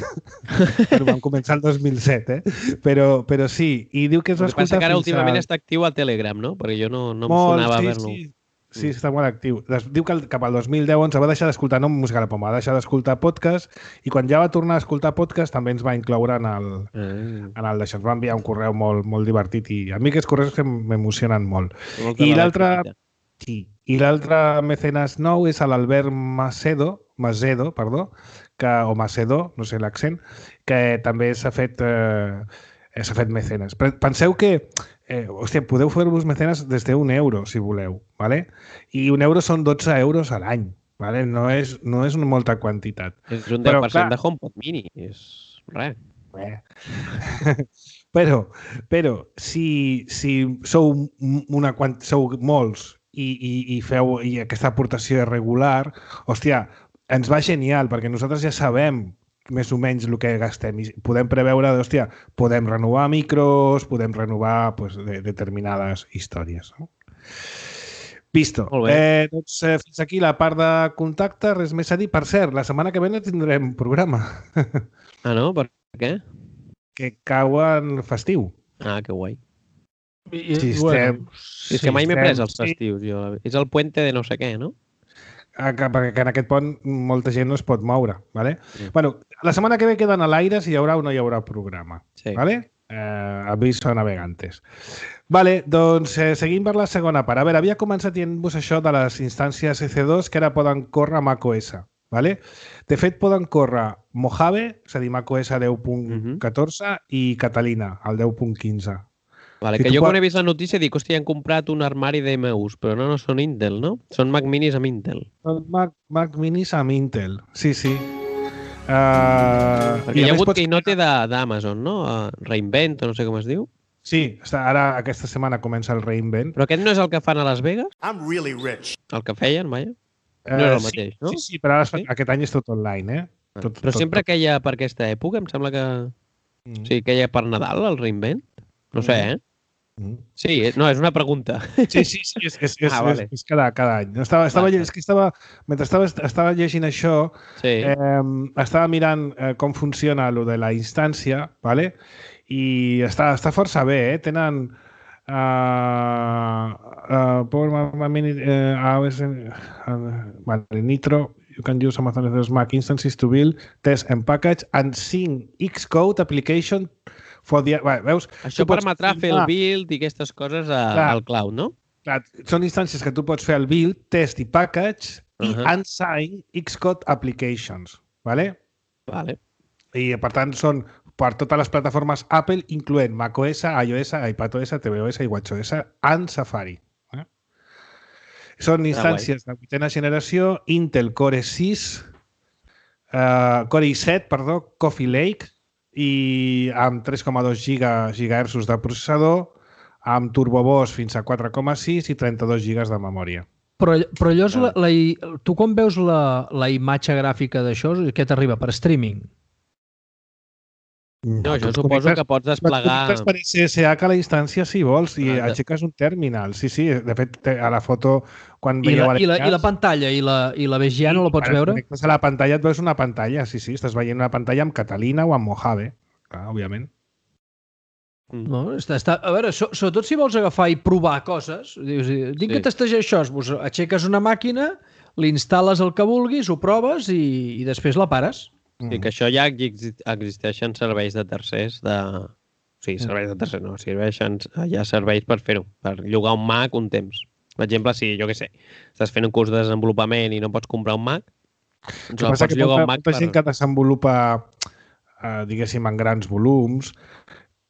Però vam començar el dos mil set, eh? Però, però sí, i diu que es va El que passa escoltar que ara fins últimament a... està actiu a Telegram, no? Perquè jo no, no em Molt, sonava sí, haver-lo. sí. Sí, està molt actiu. Des- Diu que el- cap al dos mil deu onze va deixar d'escoltar, no Música a la Poma, va deixar d'escoltar podcast i quan ja va tornar a escoltar podcast també ens va incloure en el, Ah. en el d'això. Ens va enviar un correu molt, molt divertit i a mi aquests correus que m'emocionen molt. Molta I mala l'altre petita. sí, i l'altre mecenes nou és l'Albert Macedo, Macedo, perdó, que, o Macedo, no sé l'accent, que també s'ha fet, eh, s'ha fet mecenes. Però penseu que eh, hòstia, podeu fer-vos mecenes des d'un euro, si voleu, ¿vale? I un euro són dotze euros a l'any, ¿vale? No és, no és una molta quantitat. És un Però, deu per cent clar- de HomePod Mini. És res. Eh. però, però si, si sou, una, quant- sou molts i, i, i feu i aquesta aportació és regular, hòstia, ens va genial, perquè nosaltres ja sabem més o menys el que gastem i podem preveure, hòstia, podem renovar micros, podem renovar pues, de, determinades històries. No? Visto. Molt bé. Eh, doncs, eh, fins aquí la part de contacte, res més a dir. Per cert, la setmana que ve no tindrem programa, Ah, no? Per què? que cau en festiu. Ah, que guai. I, Sí, bueno, Sí, és que mai m'he estem- pres els sí. festius. Jo. És el puente de no sé què, no? Ah, que- perquè que en aquest pont molta gent no es pot moure. ¿Vale? Mm. Bueno, la setmana que ve queden a l'aire si hi haurà o no hi haurà programa. Sí. ¿Vale? Eh, aviso a navegantes. Vale, doncs eh, seguim per la segona part. A veure, havia començat dient-vos això de les instàncies E C dos que ara poden córrer a macOS. Vale? De fet, poden córrer Mojave, és a dir, macOS deu punt catorze, i Catalina, el deu punt quinze. Vale, Si que tu jo pot- quan he vist la notícia dic, hòstia, han comprat un armari de M Us, però no, no són Intel, no? Són Mac Minis amb Intel. Mac, Mac Minis amb Intel, sí, sí. Uh, Perquè hi ha hagut keynote de- d'Amazon, no? Uh, Reinvent, o no sé com es diu. Sí, està, ara aquesta setmana comença el Reinvent. Però aquest no és el que fan a Las Vegas? I'm really rich. El que feien, vaja. Eh, No és el sí, mateix, no? Sí, sí, però ara es fa- Sí? aquest any és tot online, eh? Tot, Però tot, sempre tot. que hi ha per aquesta època, em sembla que... Mm. Sí, que hi ha per Nadal, el Reinvent. No sé, eh? Sí, no, és una pregunta. Sí, sí, sí, és, és, és, Ah, vale. és, és cada, cada any. Estava, estava, Vale. és que estava, mentre estava, estava llegint això, Sí. eh, estava mirant eh, com funciona lo de la instància, ¿vale? I està, està força bé, eh? Tenen uh, uh, Power Minute, uh, A W S, uh, vale, Nitro, you can use Amazon S Mac instances to build, test and package, and sync Xcode application for the... Vale, veus? Això Tu pots permetrà fer el filmar- build i aquestes coses a, Clar. al cloud, no? Clar, són instàncies que tu pots fer el build, test i package i Uh-huh. unsign Xcode applications, ¿vale? Vale. I per tant són per totes les plataformes Apple, incloent macOS, iOS, iPadOS, tvOS i watchOS en Safari. Eh? Són instàncies de vuitena generació, Intel Core sis, uh, Core i set, perdó, Coffee Lake, i amb tres coma dos gigahertzs de processador, amb turbobos fins a quatre coma sis i trenta-dos gigas de memòria. Però, però allò és la, la, tu quan veus la, la imatge gràfica d'això, què t'arriba? Per streaming? No, jo tu suposo connectes- que pots Et desplegar... connectes per S S H a la instància si vols i Ah, de- aixeques un terminal. Sí, sí, de fet, te- a la foto, quan I veieu la, i, la, I la l'enllaç, pantalla i la, i la V G A no la pots quan et veure? connectes a la pantalla et veus una pantalla, sí, sí, estàs veient una pantalla amb Catalina o amb Mojave, clar, òbviament. No, està, està, a veure, so, sobretot si vols agafar i provar coses, dius, dic Sí. que testejar això, doncs aixeques una màquina, l'instal·les el que vulguis, ho proves i, i després la pares. Sí, que això ja exi- existeixen serveis de tercers de... O sigui, serveis de tercers no, serveixen, hi ha serveis per fer-ho, per llogar un Mac un temps. Per exemple, si, jo què sé, estàs fent un curs de desenvolupament i no pots comprar un Mac, doncs El que el passa pots que llogar molta, un Mac molta per... gent que desenvolupa, eh, diguéssim, en grans volums,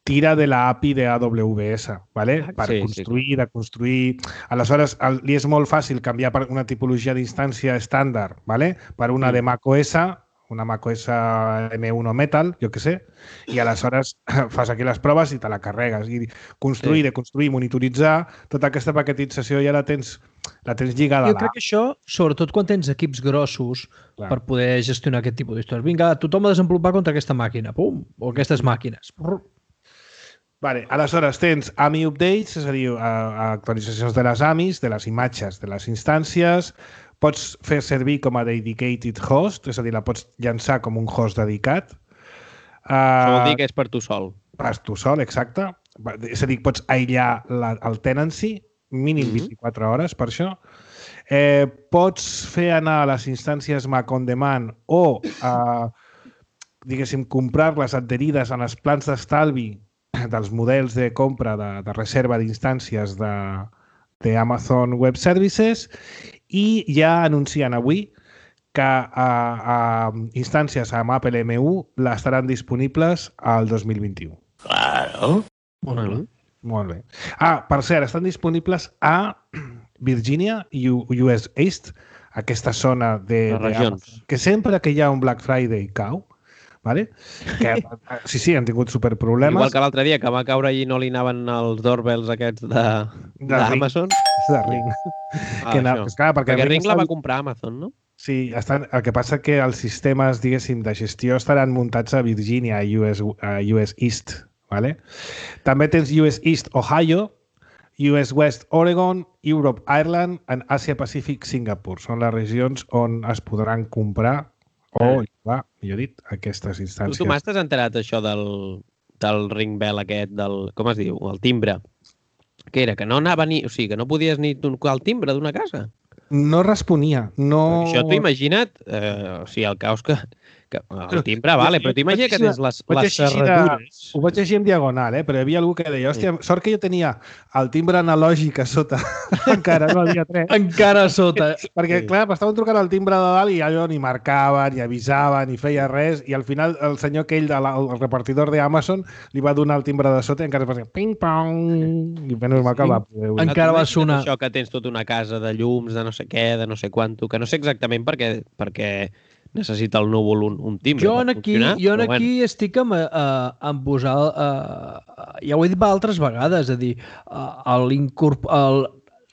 tira de la A P I de A W S, ¿vale? Ah, per sí, sí, construir, de construir... Aleshores, el, li és molt fàcil canviar per una tipologia d'instància estàndard, ¿vale? Per una Mm. de macOS, una macOS M uno Metal, jo que sé, i aleshores fas aquí les proves i te la carregues. I construir, Sí. de construir, monitoritzar, tota aquesta paquetització ja la tens, la tens lligada Jo a crec que això, sobretot quan tens equips grossos, Clar. per poder gestionar aquest tipus d'històries. Vinga, tothom a desenvolupar contra aquesta màquina, pum, o aquestes màquines. Brr. Vale, aleshores tens A M I updates, és a dir, a, a actualitzacions de les A M Is, de les imatges, de les instàncies, pots fer servir com a dedicated host, és a dir, la pots llançar com un host dedicat. Això vol Uh, dir que és per tu sol. Pas tu sol, exacte. Va- És a dir, pots aïllar la, el tenancy, mínim Mhm. vint-i-quatre hores per això. Eh, pots fer anar a les instàncies Mac on demand o, uh, diguéssim, comprar-les adherides en els plans d'estalvi dels models de compra de, de reserva d'instàncies de, de Amazon Web Services i ja anuncien avui que a, a instàncies amb Apple M U estaran disponibles al dos mil vint-i-u. Molt bé. Molt bé. Ah, per cert, estan disponibles a Virginia i U- US East, aquesta zona de, Les de regions. Amazon, que sempre que hi ha un Black Friday cau, ¿vale? Que, sí, sí, han tingut superproblemes. Igual que l'altre dia, que va caure i no li anaven els doorbells aquests de De d'Amazon. de Ring. Ah, que, anava- això. és clar, perquè, Perquè Ring la estan- va comprar Amazon, no? Sí, estan, el que passa que els sistemes, diguéssim, de gestió estaran muntats a Virginia, a U S, a U S East. ¿Vale? També tens U S East Ohio, U S West Oregon, Europe Ireland i Asia Pacific Singapur. Són les regions on es podran comprar o llogar, millor dit, aquestes Tu, instàncies. Tomàs, t'has enterat això del, del ring bell aquest, del, com es diu, el timbre? Que era que no anava ni... O sigui, que no podies ni tocar el timbre d'una casa. No responia. No... Això t'ho imagina't, eh, o sigui, el caos que... que el timbre, vale, però t'imagina que tens les, Vaig les llegir de- serradures. Ho vaig llegir en diagonal, eh? però hi havia algú que deia, hòstia, sort que jo tenia el timbre analògic a sota. Encara no havia tret. Encara a sota. Perquè, Sí. clar, m'estaven trucant al timbre de dalt i allò ni marcava, ni avisava, ni feia res, i al final el senyor aquell, de la, el repartidor d'Amazon, li va donar el timbre de sota i encara es va dir ping-pong, i menys mal que el va poder obrir. Encara va T'imagines sonar. Això que tens tota una casa de llums, de no sé què, de no sé quanto, que no sé exactament perquè, perquè necessita el núvol un, un timbre Jo en per aquí, funcionar, jo en però aquí estic amb, uh, amb posar, uh, ja ho he dit altres vegades, és a dir, uh, l'incorp- el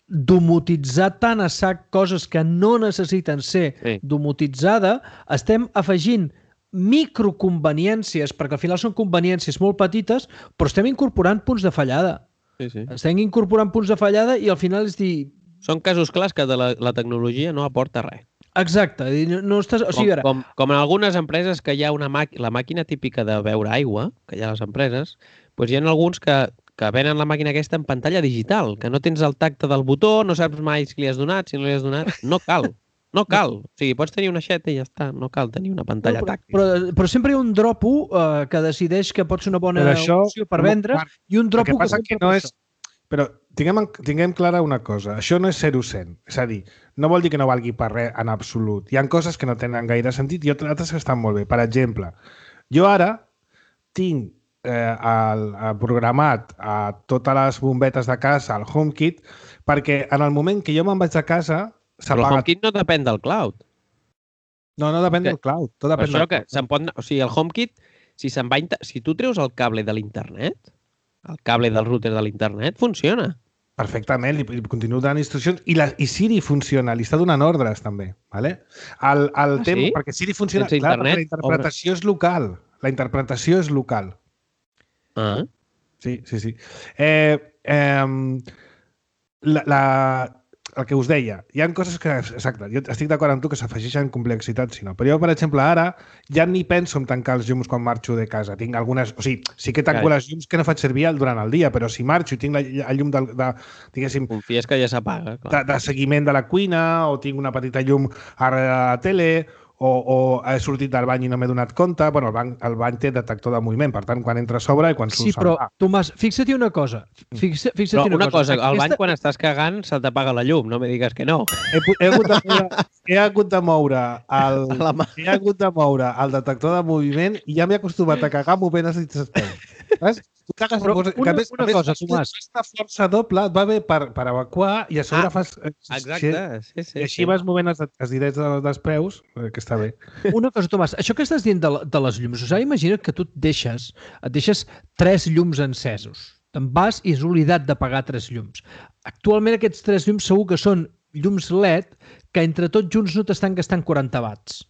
domotitzar tant a sac coses que no necessiten ser Sí. domotitzada, estem afegint microconveniències, perquè al final són conveniències molt petites, però estem incorporant punts de fallada. Sí, sí. Estem incorporant punts de fallada i al final és dir... Són casos clars que de la, la tecnologia no aporta res. Exacte. No, no estàs... O sigui, com, com, com en algunes empreses que hi ha una màquina, la màquina típica de beure aigua, que hi ha a les empreses, doncs hi ha alguns que, que venen la màquina aquesta en pantalla digital, que no tens el tacte del botó, no saps mai si li has donat, si no li has donat. No cal. No cal. O sigui, pots tenir una xeta i ja està. No cal tenir una pantalla no, però, tàctil. Però, però sempre hi ha un dropo uh, que decideix que pot ser una bona això, opció per vendre Marc, i un dropo que, que no és... Però tinguem, tinguem clara una cosa. Això no és zero cent. És a dir, no vol dir que no valgui per res en absolut. Hi ha coses que no tenen gaire sentit i altres que estan molt bé. Per exemple, jo ara tinc eh, el, el programat a totes les bombetes de casa, el HomeKit, perquè en el moment que jo me'n vaig a casa però el HomeKit no depèn del cloud. No, no depèn que, del cloud. Tot depèn això del que se'n pot... O sigui, el HomeKit, si se'n va... Si tu treus el cable de l'internet, el cable del router de l'internet, funciona. Perfectament, li, li continuo donant instruccions i, la, i Siri funciona, li està donant ordres també. Vale? El, el ah, tema, sí? Perquè Siri funciona, Sense clar, internet, perquè la interpretació obre. és local. La interpretació és local. Ah. Sí, sí, sí. Eh, eh, la, la, el que us deia, hi ha coses que, exacte, jo estic d'acord amb tu que s'afegeixen complexitat, si no. Però jo, per exemple, ara ja ni penso en tancar els llums quan marxo de casa. Tinc algunes... O sigui, sí que tanco Carai. les llums que no faig servir durant el dia, però si marxo i tinc la, el llum de, de, diguéssim... Confies que ja s'apaga, clar. De, de seguiment de la cuina, o tinc una petita llum a la tele, o, o he sortit del bany i no m'he donat compte. Bueno, el bany, el bany té detector de moviment, per tant, quan entra a sobre i quan surt sí, però, Tomàs, fixa-hi una cosa. Fixa, fixa però una, una cosa, cosa al aquesta... bany quan estàs cagant se t'apaga la llum, no me digues que no. He, he, hagut, de moure, he hagut de moure el, he hagut de moure el detector de moviment i ja m'he acostumat a cagar movent els dits dels peus. Saps? Tu cagues però una, una, més, una més, cosa, més, Tomàs. Aquesta força doble et va bé per, per evacuar i a sobre ah, fas... Exacte, sí, sí. I així sí. vas movent els, els direts dels, dels peus, que està bé. Una cosa, Tomàs, això que estàs dient de, de les llums, o sigui, imagina't que tu et deixes, et deixes tres llums encesos. Te'n vas i has oblidat d'apagar tres llums. Actualment aquests tres llums segur que són llums L E D que entre tots junts no t'estan gastant quaranta watts.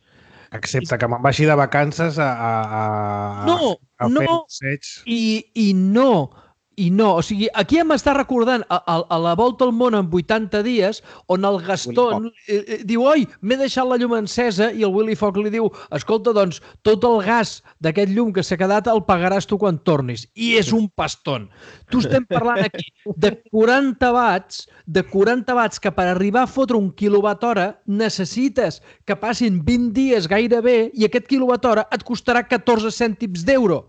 Excepte que me'n vagi de vacances a, a, a, no, a fer no, passeig. I, i no, i no. O sigui, aquí em està recordant a, a, a la volta al món en vuitanta dies on el Gaston eh, eh, diu, oi, m'he deixat la llum encesa i el Willy Fogg li diu, escolta, doncs, tot el gas d'aquest llum que s'ha quedat el pagaràs tu quan tornis. I és un paston. Tu estem parlant aquí de quaranta watts, de quaranta watts que per arribar a fotre un quilowatt hora necessites que passin vint dies gairebé i aquest quilowatt hora et costarà catorze cèntims d'euro.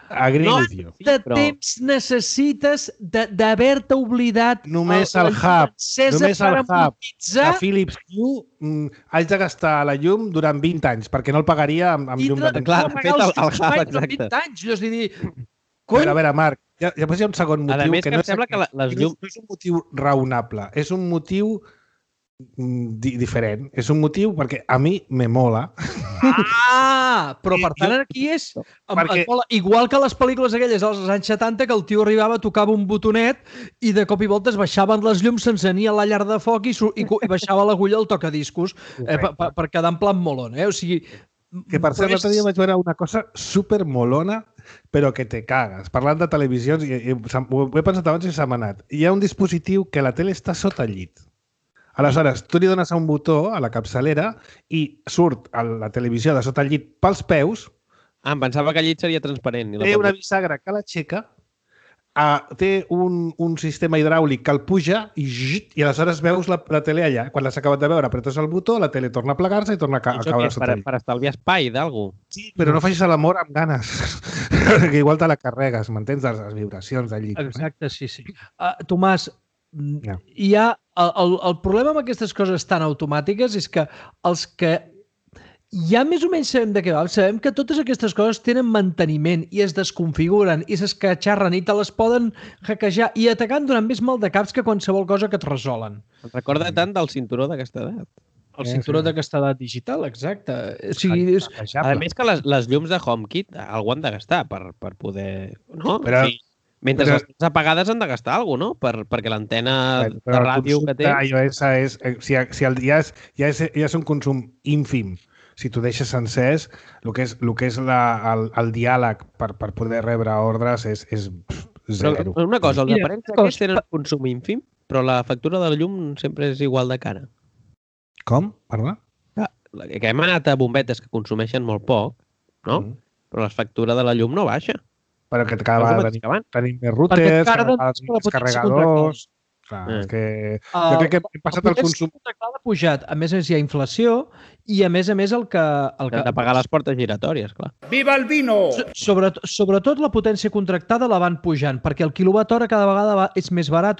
Agree no with you. de però... temps necessites d'haver-te oblidat només el, el hub, només el hub de Philips Hue mm, haig de gastar la llum durant vint anys perquè no el pagaria amb, amb llum de temps. Clar, fet el, el hub, exacte. vint anys, jo és dir... A veure, a veure, Marc, ja, ja hi ha un segon motiu. A més, que, que no em sembla que les llums... No és un motiu raonable, és un motiu di diferent. És un motiu perquè a mi me mola. Ah! Però per tant aquí és... Perquè... Mola. Igual que les pel·lícules aquelles dels anys setanta que el tio arribava, tocava un botonet i de cop i volta es baixaven les llums, s'encenia la llar de foc i, i, i baixava l'agulla al tocadiscos eh, per, per, per quedar en plan molon. Eh? O sigui... Que per cert, l'altre dia vaig veure una cosa super molona, però que te cagues. Parlant de televisions, i, i, ho he pensat abans i s'ha manat. Hi ha un dispositiu que la tele està sota el llit. Aleshores, tu li dones a un botó a la capçalera i surt a la televisió de sota el llit pels peus. Ah, em pensava que el llit seria transparent. Té una bisagra que l'aixeca, uh, té un, un sistema hidràulic que el puja i, i aleshores veus la, la tele allà. Quan l'has acabat de veure, apretes el botó, la tele torna a plegar-se i torna a, ca a caure sota per, el llit. Per estalviar espai d'algú. Sí, però no facis l'amor amb ganes, que igual te la carregues, m'entens, les, les vibracions del llit. Exacte, sí, sí. Uh, Tomàs, yeah. hi ha... El, el, el problema amb aquestes coses tan automàtiques és que els que ja més o menys sabem de què va, sabem que totes aquestes coses tenen manteniment i es desconfiguren i s'escatxarren i te les poden hackejar i atacant donant més mal de caps que qualsevol cosa que et resolen. Et recorda tant del cinturó d'aquesta edat. El cinturó sí, d'aquesta edat digital, exacte. O sigui, és... A més que les, les llums de HomeKit algú han de gastar per, per poder... No? Però... Sí. Mentre però... les tens apagades han de gastar alguna cosa, no? Per, perquè l'antena de ràdio que té... iOS és, si, si el, ja, és, ja, és, ja és un consum ínfim. Si tu deixes sencers, el que és, el que és la, el, el diàleg per, per poder rebre ordres és, és, zero. Però una cosa, els Mira, aparells cosa- aquests tenen consum ínfim, però la factura de la llum sempre és igual de cara. Com? Perdó? Ah, que hem anat a bombetes que consumeixen molt poc, no? Mm. Però la factura de la llum no baixa. Però que cada És el vegada mateix tenim, que abans. tenim més Perquè routers, et carden cada vegada més tenim la més potència carregadors... Clar, Eh. és que... Jo crec que hem passat el consum... contractada ha pujat. A més a més, hi ha inflació i, a més a més, el que... El que Hem de pagar les portes giratòries, clar. So- Sobretot, sobretot la potència contractada la van pujant, perquè el quilowatt hora cada vegada va, és més barat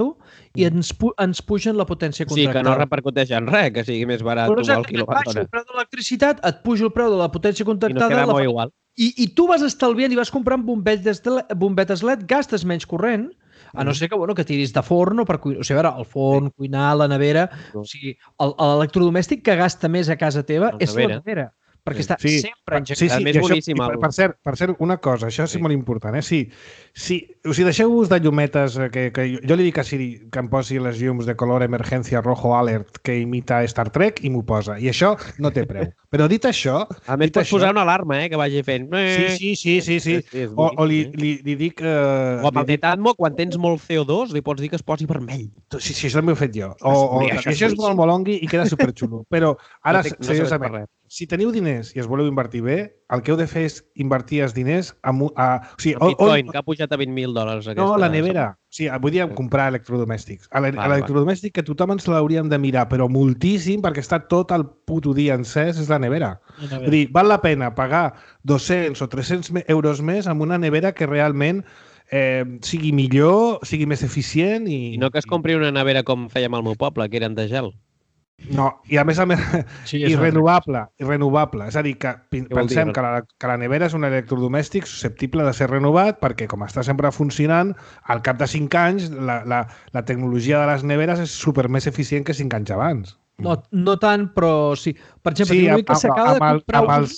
i ens, pu ens pugen la potència O sigui, que no contractada. repercuteix en res, que sigui més barat Però el exacte, et quilowatt baixa hora. el preu de l'electricitat, et puja el preu de la potència I nos contractada, quedamos la... igual. I, i tu vas estalviant i vas comprant bombetes, de, bombetes L E D, gastes menys corrent, a no ser que, bueno, que tiris de forn o per cuinar. O sigui, a veure, el forn, cuinar, la nevera... O sigui, el- l'electrodomèstic que gasta més a casa teva La és la nevera. nevera. Perquè Sí. està Sí, sempre engegat. Sí, sí, Més i això, boníssim i per, el- per, cert, per cert, una cosa, això és Sí. molt important, eh? Si, si, o sigui, deixeu-vos de llumetes, eh, que, que jo, jo li dic a Siri que em posi les llums de color emergència rojo alert que imita Star Trek i m'ho posa. I això no té preu. Però dit això... A més, dit pots això, posar una alarma, eh, que vagi fent... Sí, sí, sí, sí, sí. és O, o li, boníssim, eh? li, li dic... Eh, O amb li el Netatmo, quan tens molt C O dos, li pots dir que es posi vermell. dic, sí, sí, això també ho he fet jo. O, o, Sí, I això és això és molt molongui i queda superxulo. Però ara, no té, no serveix per seriosament, res. si teniu diners i es voleu invertir bé, el que heu de fer és invertir els diners en, un- a, o sigui, El on- Bitcoin, on- que ha pujat a vint mil dòlars. no, Aquesta la nevera. O sigui, vull dir, comprar electrodomèstics. A l'e- Val, a L'electrodomèstic que tothom ens l'hauríem de mirar, però moltíssim, perquè està tot el puto dia encès, és la nevera. Vull dir, val la pena pagar dos-cents o tres-cents me- euros més amb una nevera que realment eh, sigui millor, sigui més eficient i... I no que es compri una nevera com fèiem al meu poble, que eren de gel. No, i a més a més, Sí, i és una renovable, i renovable. És a dir, que pi- Què vol dir, pensem no? que la, que la nevera és un electrodomèstic susceptible de ser renovat perquè, com està sempre funcionant, al cap de cinc anys la, la, la tecnologia de les neveres és super més eficient que cinc anys abans. No, no tant, però sí. Per exemple, Sí, tinc un amb, amic que amb, s'acaba de amb, el, comprar amb un- els,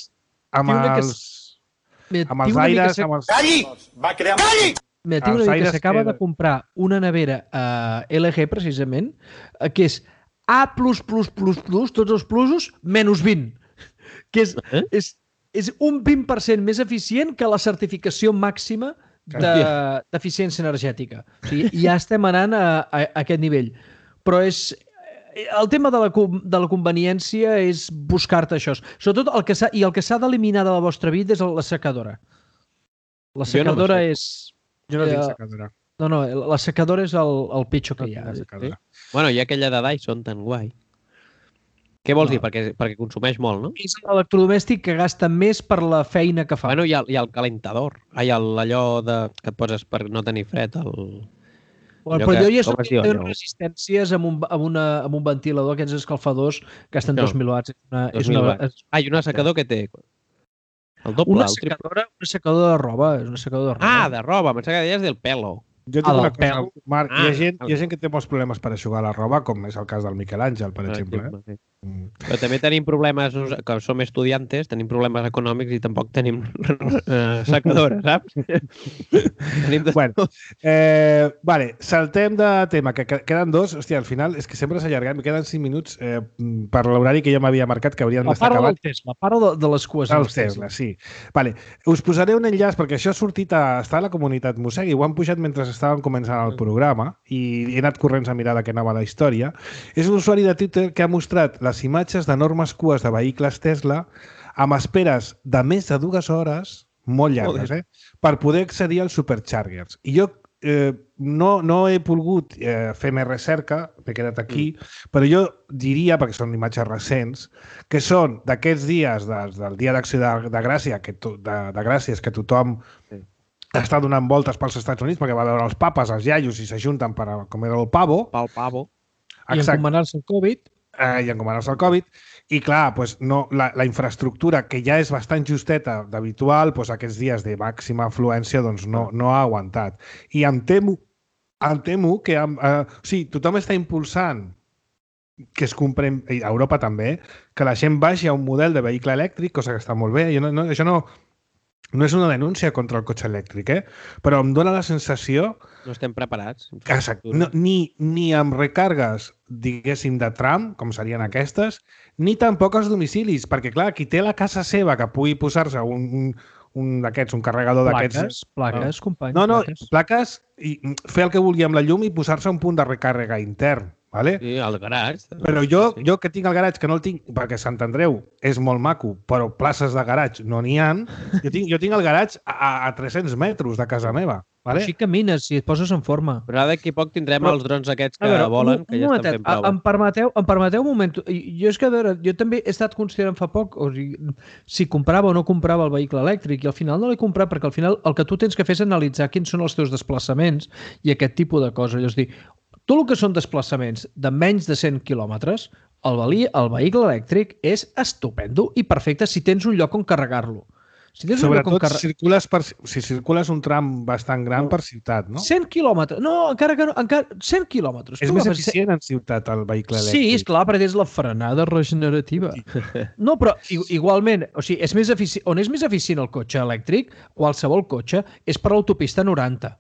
amb tinc un amic que els, Mira, amb tinc els un amic que aires, s'ha- amb els... Va crear... Calli! Mira, tinc un els amic que aires s'acaba que- de comprar una nevera eh, L G, precisament, eh, que és A plus, plus, plus, plus, tots els plusos, menys vint. Que és, Eh? és, és un vint per cent més eficient que la certificació màxima de- d'eficiència energètica. O sigui, ja estem anant a, a, a aquest nivell. Però és... El tema de la, com- de la conveniència és buscar-te això. Sobretot el que s'ha i el que s'ha d'eliminar de la vostra vida és la secadora. La Jo no secadora m'aixeco. és... Jo no eh, tinc secadora. No, no, la secadora és el, el pitjor que No hi ha. tinc secadora. Bueno, hi ha aquella de Dyson tan guai. Què vols No. dir? Perquè, perquè consumeix molt, no? És l'electrodomèstic que gasta més per la feina que fa. Bueno, hi ha, hi ha el calentador. Ai, el, allò de, que et poses per no tenir fred. El... Bueno, allò però que- jo ja com soc es diu de allò? resistències amb un, amb, una, amb un ventilador, aquests escalfadors, gasten Això. dos mil watts. És una, dos és mil una, watts. és Ah, i un assecador que té el doble, una, el triple. secadora, una secadora de roba. És una secadora de roba. Ah, de roba. Em sembla que deies del pelo. Jo tinc A la una cosa, pèl. Marc, hi, Ah, ha gent, el- hi ha gent que té molts problemes per aixugar la roba, com és el cas del Miquel Àngel, per exemple. Eh? sí. Mm. Però també tenim problemes, nos- que som estudiantes, tenim problemes econòmics i tampoc tenim eh, secadora, saps? tenim de... Bueno, eh, vale, saltem de tema, que que- queden dos. Hòstia, al final és que sempre s'allarga, me queden cinc minuts eh, per l'horari que jo m'havia marcat, que haurien La d'estar part del acabats. Tesla, la part de, de les cues. Els Tesla, sí. Vale. Us posaré un enllaç, perquè això ha sortit a, està a la comunitat Mossegui, ho han pujat mentre estàvem començant el programa i he anat corrents a mirar de què anava la història. És un usuari de Twitter que ha mostrat les imatges d'enormes cues de vehicles Tesla amb esperes de més de dues hores, molt llargues, eh? per poder accedir als superchargers. I jo eh, no, no he volgut eh, fer més recerca, m'he quedat aquí, mm. però jo diria, perquè són imatges recents, que són d'aquests dies, des, del dia d'acció de, de Gràcia, que to, de, de Gràcies, que tothom Sí. està donant voltes pels Estats Units perquè va veure els papes, els iaios i s'ajunten per a comer el pavo. Pel pavo. I encomanar-se al Covid. Eh, I encomanar-se al Covid. I clar, pues, no, la, la infraestructura, que ja és bastant justeta d'habitual, pues, aquests dies de màxima afluència doncs, no, no ha aguantat. I em temo, em temo que amb, eh, o sigui, tothom està impulsant que es compren, i a Europa també, que la gent vagi a un model de vehicle elèctric, cosa que està molt bé. Jo no, no, això no, no és una denúncia contra el cotxe elèctric, eh? Però em dóna la sensació No estem preparats. Exacte. No, ni, ni amb recargues, diguéssim, de tram, com serien aquestes, ni tampoc als domicilis, perquè, clar, qui té la casa seva que pugui posar-se un, un, un d'aquests, un carregador d'aquests. Plaques, plaques, company. No, no, plaques. plaques i fer el que vulgui amb la llum i posar-se un punt de recàrrega intern. Vale? Sí, al garatge. Però jo, sí. jo que tinc el garatge, que no el tinc, perquè Sant Andreu és molt maco, però places de garatge no n'hi ha, jo tinc, jo tinc el garatge a, a tres-cents metres de casa meva. Vale? Així camines, si et poses en forma. Però ara d'aquí poc tindrem Però, els drons aquests que veure, volen, un, que un ja momentet, estan fent proves. em permeteu, em permeteu un moment? Jo és que, a veure, jo també he estat considerant fa poc o sigui, si comprava o no comprava el vehicle elèctric i al final no l'he comprat perquè al final el que tu tens que fer és analitzar quins són els teus desplaçaments i aquest tipus de coses. És a dir, tot el que són desplaçaments de menys de cent quilòmetres, el, el vehicle elèctric és estupendo i perfecte si tens un lloc on carregar-lo. Si tens Sobretot un lloc on carre... si, circules per, si circules un tram bastant gran no. per ciutat, no? cent quilòmetres. No, encara que no. Encara... cent quilòmetres. És tu més agafes eficient en ciutat el vehicle elèctric. Sí, és clar, perquè és la frenada regenerativa. No, però igualment, o sigui, és més efici... on és més eficient el cotxe elèctric, qualsevol cotxe, és per l'autopista noranta.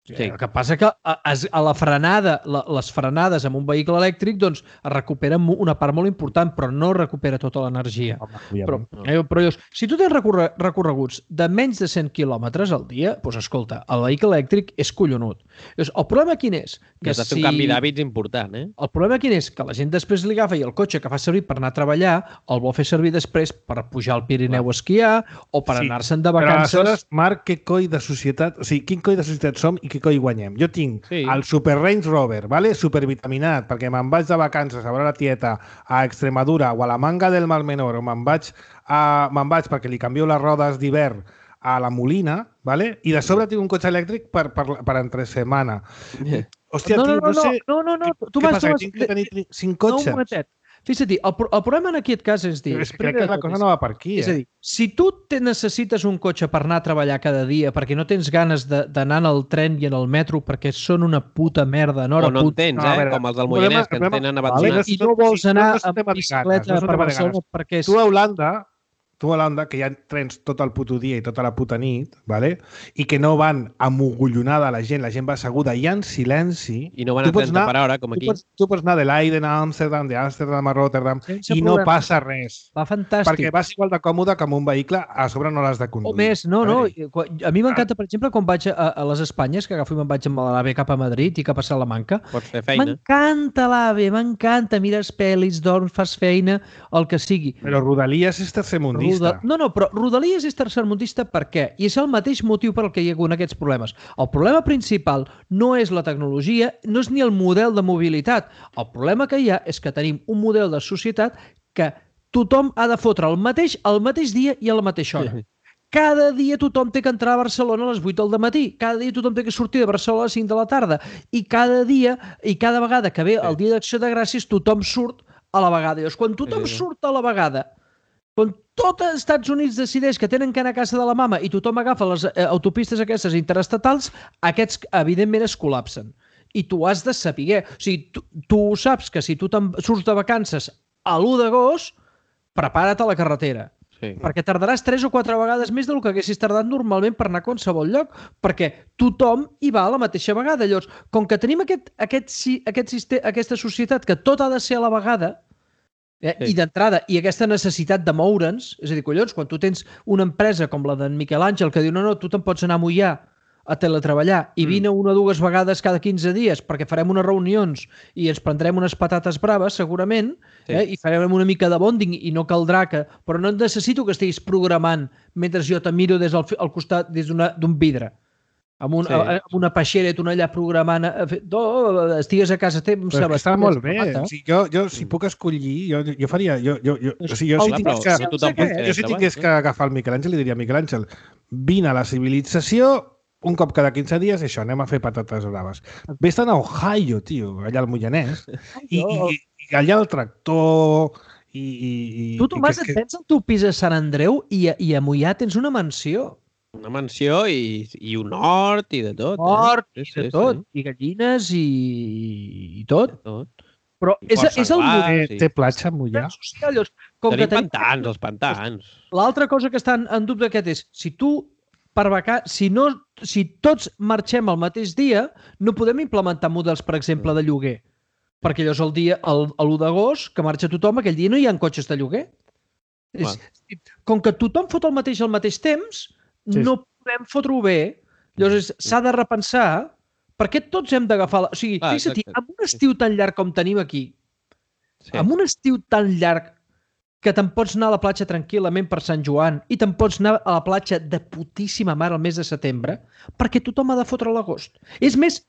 Sí. El que passa que a, a la frenada, la, les frenades amb un vehicle elèctric doncs es recuperen una part molt important, però no recupera tota l'energia. Però, eh, però llavors, si tu tens recorre, recorreguts de menys de cent quilòmetres al dia, doncs escolta, el vehicle elèctric és collonut. Llavors, el problema quin és? Que has de fer si... un canvi d'hàbits important, eh? El problema quin és? Que la gent després li agafa i el cotxe que fa servir per anar a treballar el vol fer servir després per pujar al Pirineu a esquiar o per sí. anar-se'n de vacances. Però aleshores, Marc, què coi de societat... O sigui, quin coi de societat som i què coi guanyem? Jo tinc sí. el Super Range Rover, vale? Supervitaminat, perquè me'n vaig de vacances a veure la tieta a Extremadura o a la Manga del Mar Menor, o me'n vaig, a... me'n vaig perquè li canvio les rodes d'hivern a la Molina, vale? I de sobre tinc un cotxe elèctric per, per, per entre setmana. Yeah. Hòstia, no, no, tio, no, no, sé... No, no, no, tu què vas... passa, Tu vas... que tinc que tenir cinc cotxes? No, un momentet. Fixa't, el, el problema en aquest cas és dir... És que crec que la cosa no va per aquí, eh? És a dir, si tu te necessites un cotxe per anar a treballar cada dia perquè no tens ganes d'anar al tren i en el metro perquè són una puta merda en hora o no en puta... tens, eh? No, veure, com els del Moianès, que en tenen abandonats. I no vols anar amb bicicleta per Barcelona perquè... Tu a Holanda... Tu a Holanda, que hi ha trens tot el puto dia i tota la puta nit, vale? I que no van amogollonada la gent, la gent va asseguda i en silenci... I no van a trenta per hora, com aquí. Tu pots, tu pots anar de Leiden a Amsterdam, d'Amsterdam a Rotterdam, Sense i problema. No passa res. Va fantàstic. Perquè vas igual de còmode que amb un vehicle, a sobre no l'has de conduir. O més, no, no. A mi m'encanta, per exemple, quan vaig a, a les Espanyes, que agafo i me'n vaig amb l'AVE cap a Madrid i cap a Salamanca. Pots fer feina. M'encanta l'AVE, m'encanta. Mires pel·lis, dorms, fas feina, el que sigui. Però Rodalies és tercermundista. No, no, però Rodalies és tercermundista per què? I és el mateix motiu per el que hi ha hagut aquests problemes. El problema principal no és la tecnologia, no és ni el model de mobilitat. El problema que hi ha és que tenim un model de societat que tothom ha de fotre el mateix el mateix dia i a la mateixa hora. Cada dia tothom té que entrar a Barcelona a les vuit del matí. Cada dia tothom té que sortir de Barcelona a les cinc de la tarda. I cada dia, i cada vegada que ve el dia d'Acció de Gràcies, tothom surt a la vegada. Llavors, quan tothom surt a la vegada, quan tot els Estats Units decideix que tenen que anar a casa de la mama i tothom agafa les eh, autopistes aquestes interestatals, aquests evidentment es col·lapsen. I tu has de saber. O sigui, tu, tu saps que si tu surts de vacances a l'u d'agost, prepara't a la carretera. Sí. Perquè tardaràs tres o quatre vegades més del que haguessis tardat normalment per anar a qualsevol lloc, perquè tothom hi va a la mateixa vegada. Llavors, com que tenim aquest, aquest, aquest sistema, aquesta societat que tot ha de ser a la vegada, Eh? Sí. I d'entrada, i aquesta necessitat de moure'ns, és a dir, collons, quan tu tens una empresa com la d'en Miquel Àngel que diu no, no, tu te'n pots anar a Moià a teletreballar i mm. vine una o dues vegades cada quinze dies perquè farem unes reunions i ens prendrem unes patates braves, segurament, sí. eh? I farem una mica de bonding i no caldrà que... Però no necessito que estiguis programant mentre jo te miro des del al costat des d'un vidre. Amb, un, sí. amb una peixera i tu allà programant, oh, estigues a casa teva... Però està molt bé. O sigui, jo, jo, si puc escollir, jo, jo faria... Jo, jo, jo, o sigui, jo, si tingués que, jo, jo si tingués que agafar el Miquel Àngel, li diria a Miquel Àngel, vine a la civilització, un cop cada quinze dies, això, anem a fer patates braves. Vés-te'n a Ohio, tio, allà al Moianès, i, i, i allà el tractor... I, i, i, tu, Tomàs, et tens el teu pis a Sant Andreu i a, i a Moià tens una mansió. Una mansió i, i un hort i de tot. Hort eh? i de sí, tot. Sí. I gallines i, i tot. tot. Però I és, és el model. Sí. Té platja a Moià. Com tenim que tenim pantans, els pantans. L'altra cosa que està en, en dubte aquest és, si tu, per vaca... si, no, si tots marxem el mateix dia, no podem implementar models, per exemple, de lloguer. Perquè llavors el dia, l'u d'agost, que marxa tothom, aquell dia no hi ha cotxes de lloguer. És, com que tothom fot el mateix al mateix temps, sí. no podem fotre-ho bé. Llavors s'ha de repensar per què tots hem d'agafar... La... O sigui, ah, fixa't, amb un estiu tan llarg com tenim aquí, sí. amb un estiu tan llarg que te'n pots anar a la platja tranquil·lament per Sant Joan i te'n pots anar a la platja de putíssima mare el mes de setembre, perquè tothom ha de fotre l'agost. És més,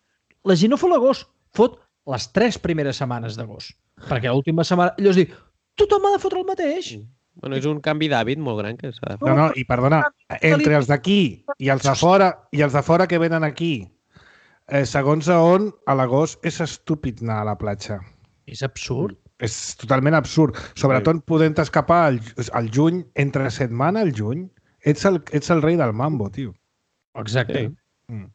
la gent no fot l'agost, fot les tres primeres setmanes d'agost. Perquè l'última setmana... Llavors dic, tothom ha de fotre el mateix. Mm. Bueno, és un canvi d'hàbit molt gran que s'ha de fer. No, no, i perdona, entre els d'aquí i els de fora, i els de fora que venen aquí, eh, segons a on, a l'agost és estúpid anar a la platja. És absurd. És totalment absurd. Sobretot podent escapar al, al juny, entre setmana al juny, ets el, ets el rei del mambo, tio. Exacte. Sí. Mm.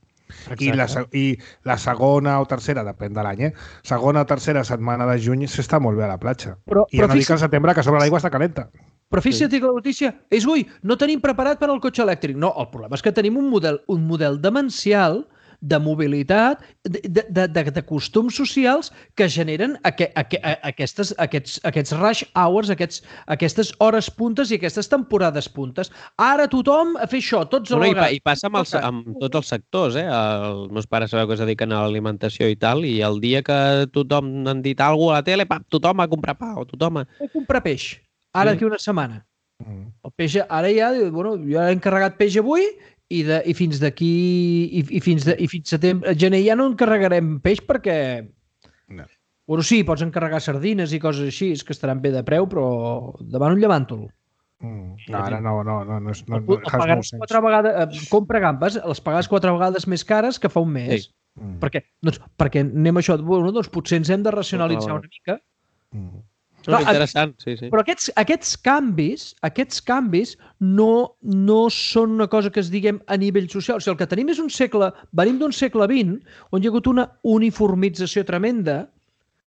I la, I la segona o tercera, depèn de l'any, eh? Segona o tercera setmana de juny s'està molt bé a la platja. Però, I ja no dic al setembre que sobre l'aigua està calenta. Però fixa't que la notícia és, ui, no tenim preparat per al cotxe elèctric. No, el problema és que tenim un model, un model demencial de mobilitat, de, de, de, de costums socials que generen aqu aqu aquestes, aquests, aquests rush hours, aquests, aquestes hores puntes i aquestes temporades puntes. Ara tothom a fer això, tots a bueno, I, I passa amb, els, amb tots els sectors. Eh? Els meus pares sabeu que es dediquen a l'alimentació i tal, i el dia que tothom han dit alguna cosa a la tele, pap, tothom a comprar pa o tothom a... A comprar peix. Ara d'aquí una setmana. El peix, ara ja, bueno, jo he encarregat peix avui i, de, i fins d'aquí i, i fins de, i fins setembre, gener ja no encarregarem peix perquè no. Bueno, sí, pots encarregar sardines i coses així, és que estaran bé de preu, però demano un llevàntol. Mm. No, ara no, no, no, no, no, no pagaràs quatre vegades, compra gambes, les pagaràs quatre vegades més cares que fa un mes. Sí. Mm. Per què? Doncs, perquè anem a això, bueno, doncs potser ens hem de racionalitzar una mica. Mm. No, és interessant, sí, sí. Però aquests, aquests canvis, aquests canvis no, no són una cosa que es diguem a nivell social. O sigui, el que tenim és un segle, venim d'un segle vint, on hi ha hagut una uniformització tremenda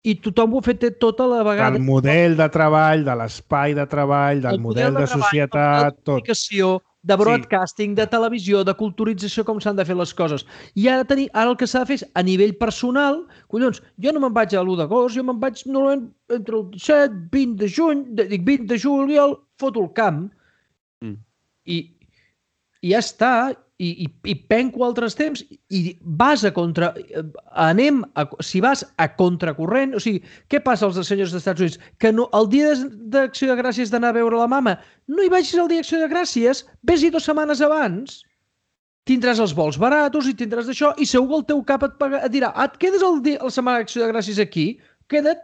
i tothom ho ha fet tota la vegada. Del model de treball, de l'espai de treball, del el model, model de, de treball, societat, tot. De broadcasting, sí. De televisió, de culturització, com s'han de fer les coses. I ara, tenir, ara el que s'ha de fer és, a nivell personal, collons, jo no me'n vaig a l'u d'agost, jo me'n vaig normalment entre el disset, vint de juny, dic vint de juliol, foto el camp, mm. i, i ja està, i, i, i penco altres temps, i vas a contra... Anem, a, si vas a contracorrent, o sigui, què passa als senyors dels Estats Units? Que no, el dia d'Acció de Gràcies d'anar a veure la mama, no hi vagis el dia d'Acció de Gràcies, vés-hi dues setmanes abans, tindràs els vols baratos i tindràs d'això, i segur que el teu cap et, paga, et dirà, ah, et quedes el dia, la setmana d'Acció de Gràcies aquí? Queda't.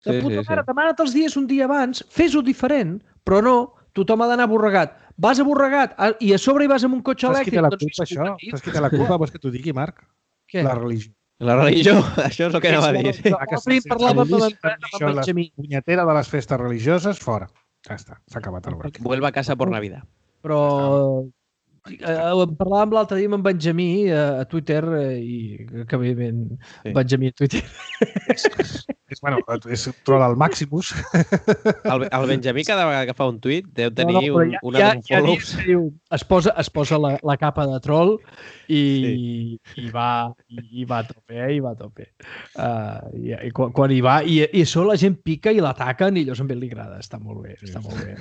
De sí, puta sí, mare, sí. Demana't els dies un dia abans, fes-ho diferent, però no, tothom ha d'anar borregat. Vas a borregat i a sobre hi vas amb un cotxe elèctric. Saps qui té la culpa, això? Saps qui té la culpa? Vols que t'ho digui, Marc? Què? La religió. La religió? Això és el que anava a dir. Sí. Avui parlàvem de la punyetera de les festes religioses, fora. Ja està, s'ha acabat el barc. Vuelva a casa por Navidad. Però eh, parlàvem l'altre dia amb en Benjamí a Twitter i que evidentment sí. Benjamí a Twitter. És, bueno, és troll al Maximus. El, el Benjamí cada vegada que fa un tuit deu tenir no, no, ja, un, una ja, ja diu, es posa, es posa la, la capa de troll i, sí. i, va, i, i va a tope, eh? I va a tope. Uh, i, i quan, quan hi va, i, i això la gent pica i l'ataquen i allò també li agrada. Està molt bé, està molt bé.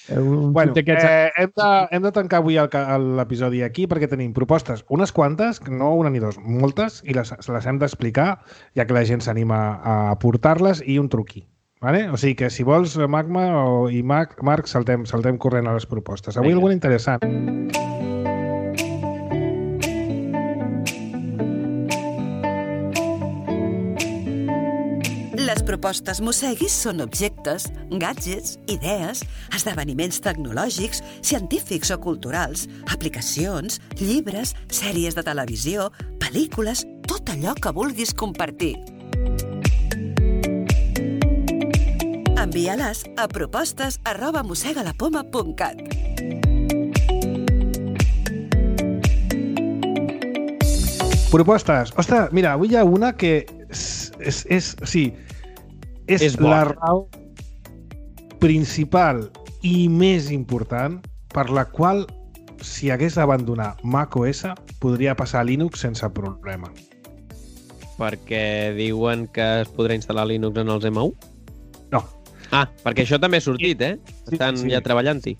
Un bueno, eh, hem, de, hem de tancar avui l'episodi aquí perquè tenim propostes, unes quantes, no una ni dos, moltes, i les, les hem d'explicar, ja que la gent s'anima a portar-les, i un truqui. Vale? O sigui que si vols, Magma o, i Marc, Marc saltem, saltem corrent a les propostes. Avui alguna interessant. Les propostes Mosseguis són objectes, gadgets, idees, esdeveniments tecnològics, científics o culturals, aplicacions, llibres, sèries de televisió, pel·lícules, tot allò que vulguis compartir. Envia-les a propostes arroba mossegalapoma punt cat. Propostes. Ostres, mira, avui hi ha una que és... és, és sí, és, és la raó principal i més important per la qual, si hagués d'abandonar macOS, podria passar a Linux sense problema. Perquè diuen que es podrà instal·lar Linux en els M U? No. Ah, perquè això també ha sortit, eh? Estan sí. ja treballant-hi.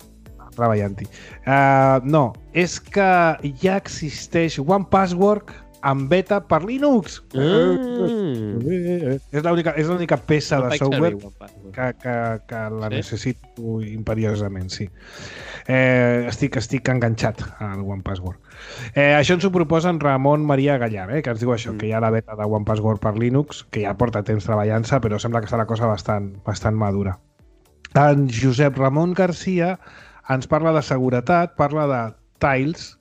Treballant-hi. Uh, no, és que ja existeix One Password en beta per Linux. Mm. És l'única és l'única peça No de faig software servir One Password. que, que, que la Sí? necessito imperiosament, sí. Eh, estic, estic enganxat al One Password. Eh, això ens ho proposa en Ramon Maria Gallar, eh, que ens diu això, Mm. que hi ha la beta de One Password per Linux, que ja porta temps treballant-se, però sembla que està la cosa bastant, bastant madura. En Josep Ramon Garcia ens parla de seguretat, parla de Tiles,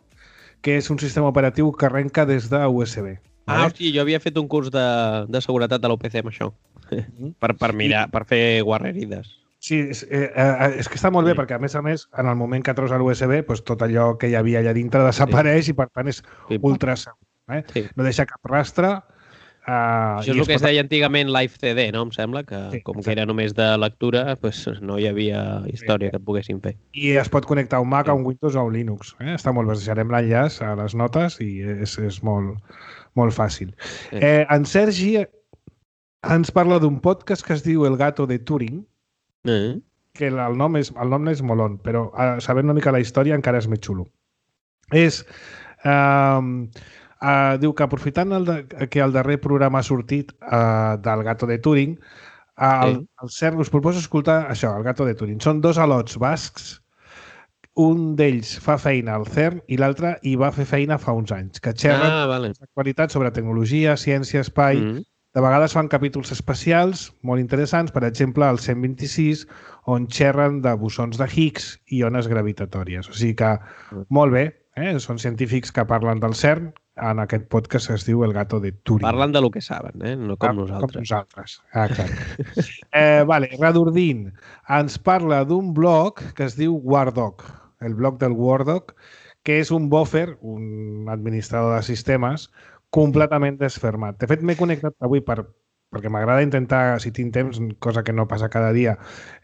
que és un sistema operatiu que arrenca des de U S B. Ah, vale? hosti, jo havia fet un curs de, de seguretat de l'U P C amb això. Mhm. per, per mirar, per fer guarrerides. Sí, és, eh, eh, és que està molt bé, Sí. perquè a més a més, en el moment que treus l'U S B, doncs tot allò que hi havia allà dintre desapareix i per tant és Sí. ultra segur. Eh? Sí. No deixa cap rastre. Eh, Això és i el que es pot- deia antigament Live C D, no? Em sembla que, Sí, com que exacte. era només de lectura, pues, no hi havia història que et poguessin fer. I es pot connectar a un Mac, Sí. a un Windows o a un Linux. Eh? Està molt bé, us deixarem l'enllaç a les notes i és, és molt, molt fàcil. Sí. Eh, en Sergi ens parla d'un podcast que es diu El gato de Turing, Eh? que el nom és, el nom és molon, però eh, sabent una mica la història encara és més xulo. És... Eh, eh, diu que aprofitant el de, que el darrer programa ha sortit eh, del gato de Turing, eh, el, Sí. el CERN us proposa escoltar això, el gato de Turing. Són dos alots bascs, un d'ells fa feina al CERN i l'altre hi va fer feina fa uns anys, que xerren Ah, vale. d'actualitat sobre tecnologia, ciència, espai. Mm. De vegades fan capítols especials molt interessants, per exemple, el cent vint-i-sis, on xerren de bosons de Higgs i ones gravitatòries. O sigui que, molt bé, eh? Són científics que parlen del CERN en aquest podcast que es diu El gato de Turing. Parlen de lo que saben, eh? No com Ah, nosaltres. Com nosaltres, ah, clar. eh, vale, Radurdin ens parla d'un blog que es diu Wardoc, el blog del Wardoc, que és un buffer, un administrador de sistemes, completament desfermat. De fet, m'he connectat avui per, perquè m'agrada intentar, si tinc temps, cosa que no passa cada dia,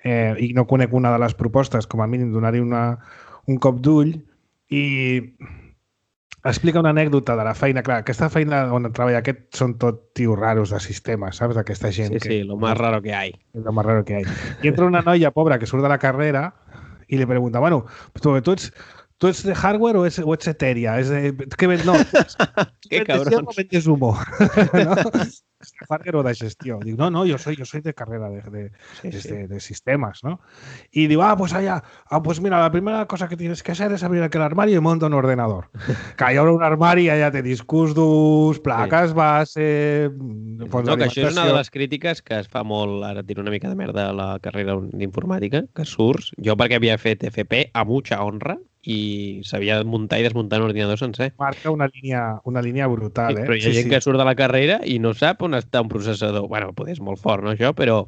eh, i no conec una de les propostes, com a mínim donar-hi una, un cop d'ull, i explica una anècdota de la feina. Clar, aquesta feina on treballa aquest són tot tios raros de sistemes, saps? Aquesta gent Sí, que... sí, lo más raro que hay. Es lo más raro que hay. Y entra una noia pobra que surt de la carrera y le pregunta, bueno, ¿tú, tú, ets, ¿tú ets de hardware o, es, o ets etèria? És de, ¿qué ven? No, Qué ¿vendes cabrons. o vendes humo? ¿No? ¿Es de hardware o de gestió? Digo, no, no, yo soy, yo soy de carrera de, de, Sí, de, sí. de, de sistemas, ¿no? Y digo, ah, pues allá, ah, pues mira, la primera cosa que tienes que hacer es abrir aquel armario y monta un ordenador. Que hi haurà un armari, allà té discos durs, plaques base... fons No, que això és una de d'alimentació. les crítiques que es fa molt, ara tiro una mica de merda a la carrera d'informàtica, que surts, jo perquè havia fet F P a mucha honra i sabia muntar i desmuntar un ordinador sencer. Marca una línia, una línia brutal, eh? Però hi ha gent que surt de la carrera i no sap on està un processador. Bueno, poder és molt fort, no, això, però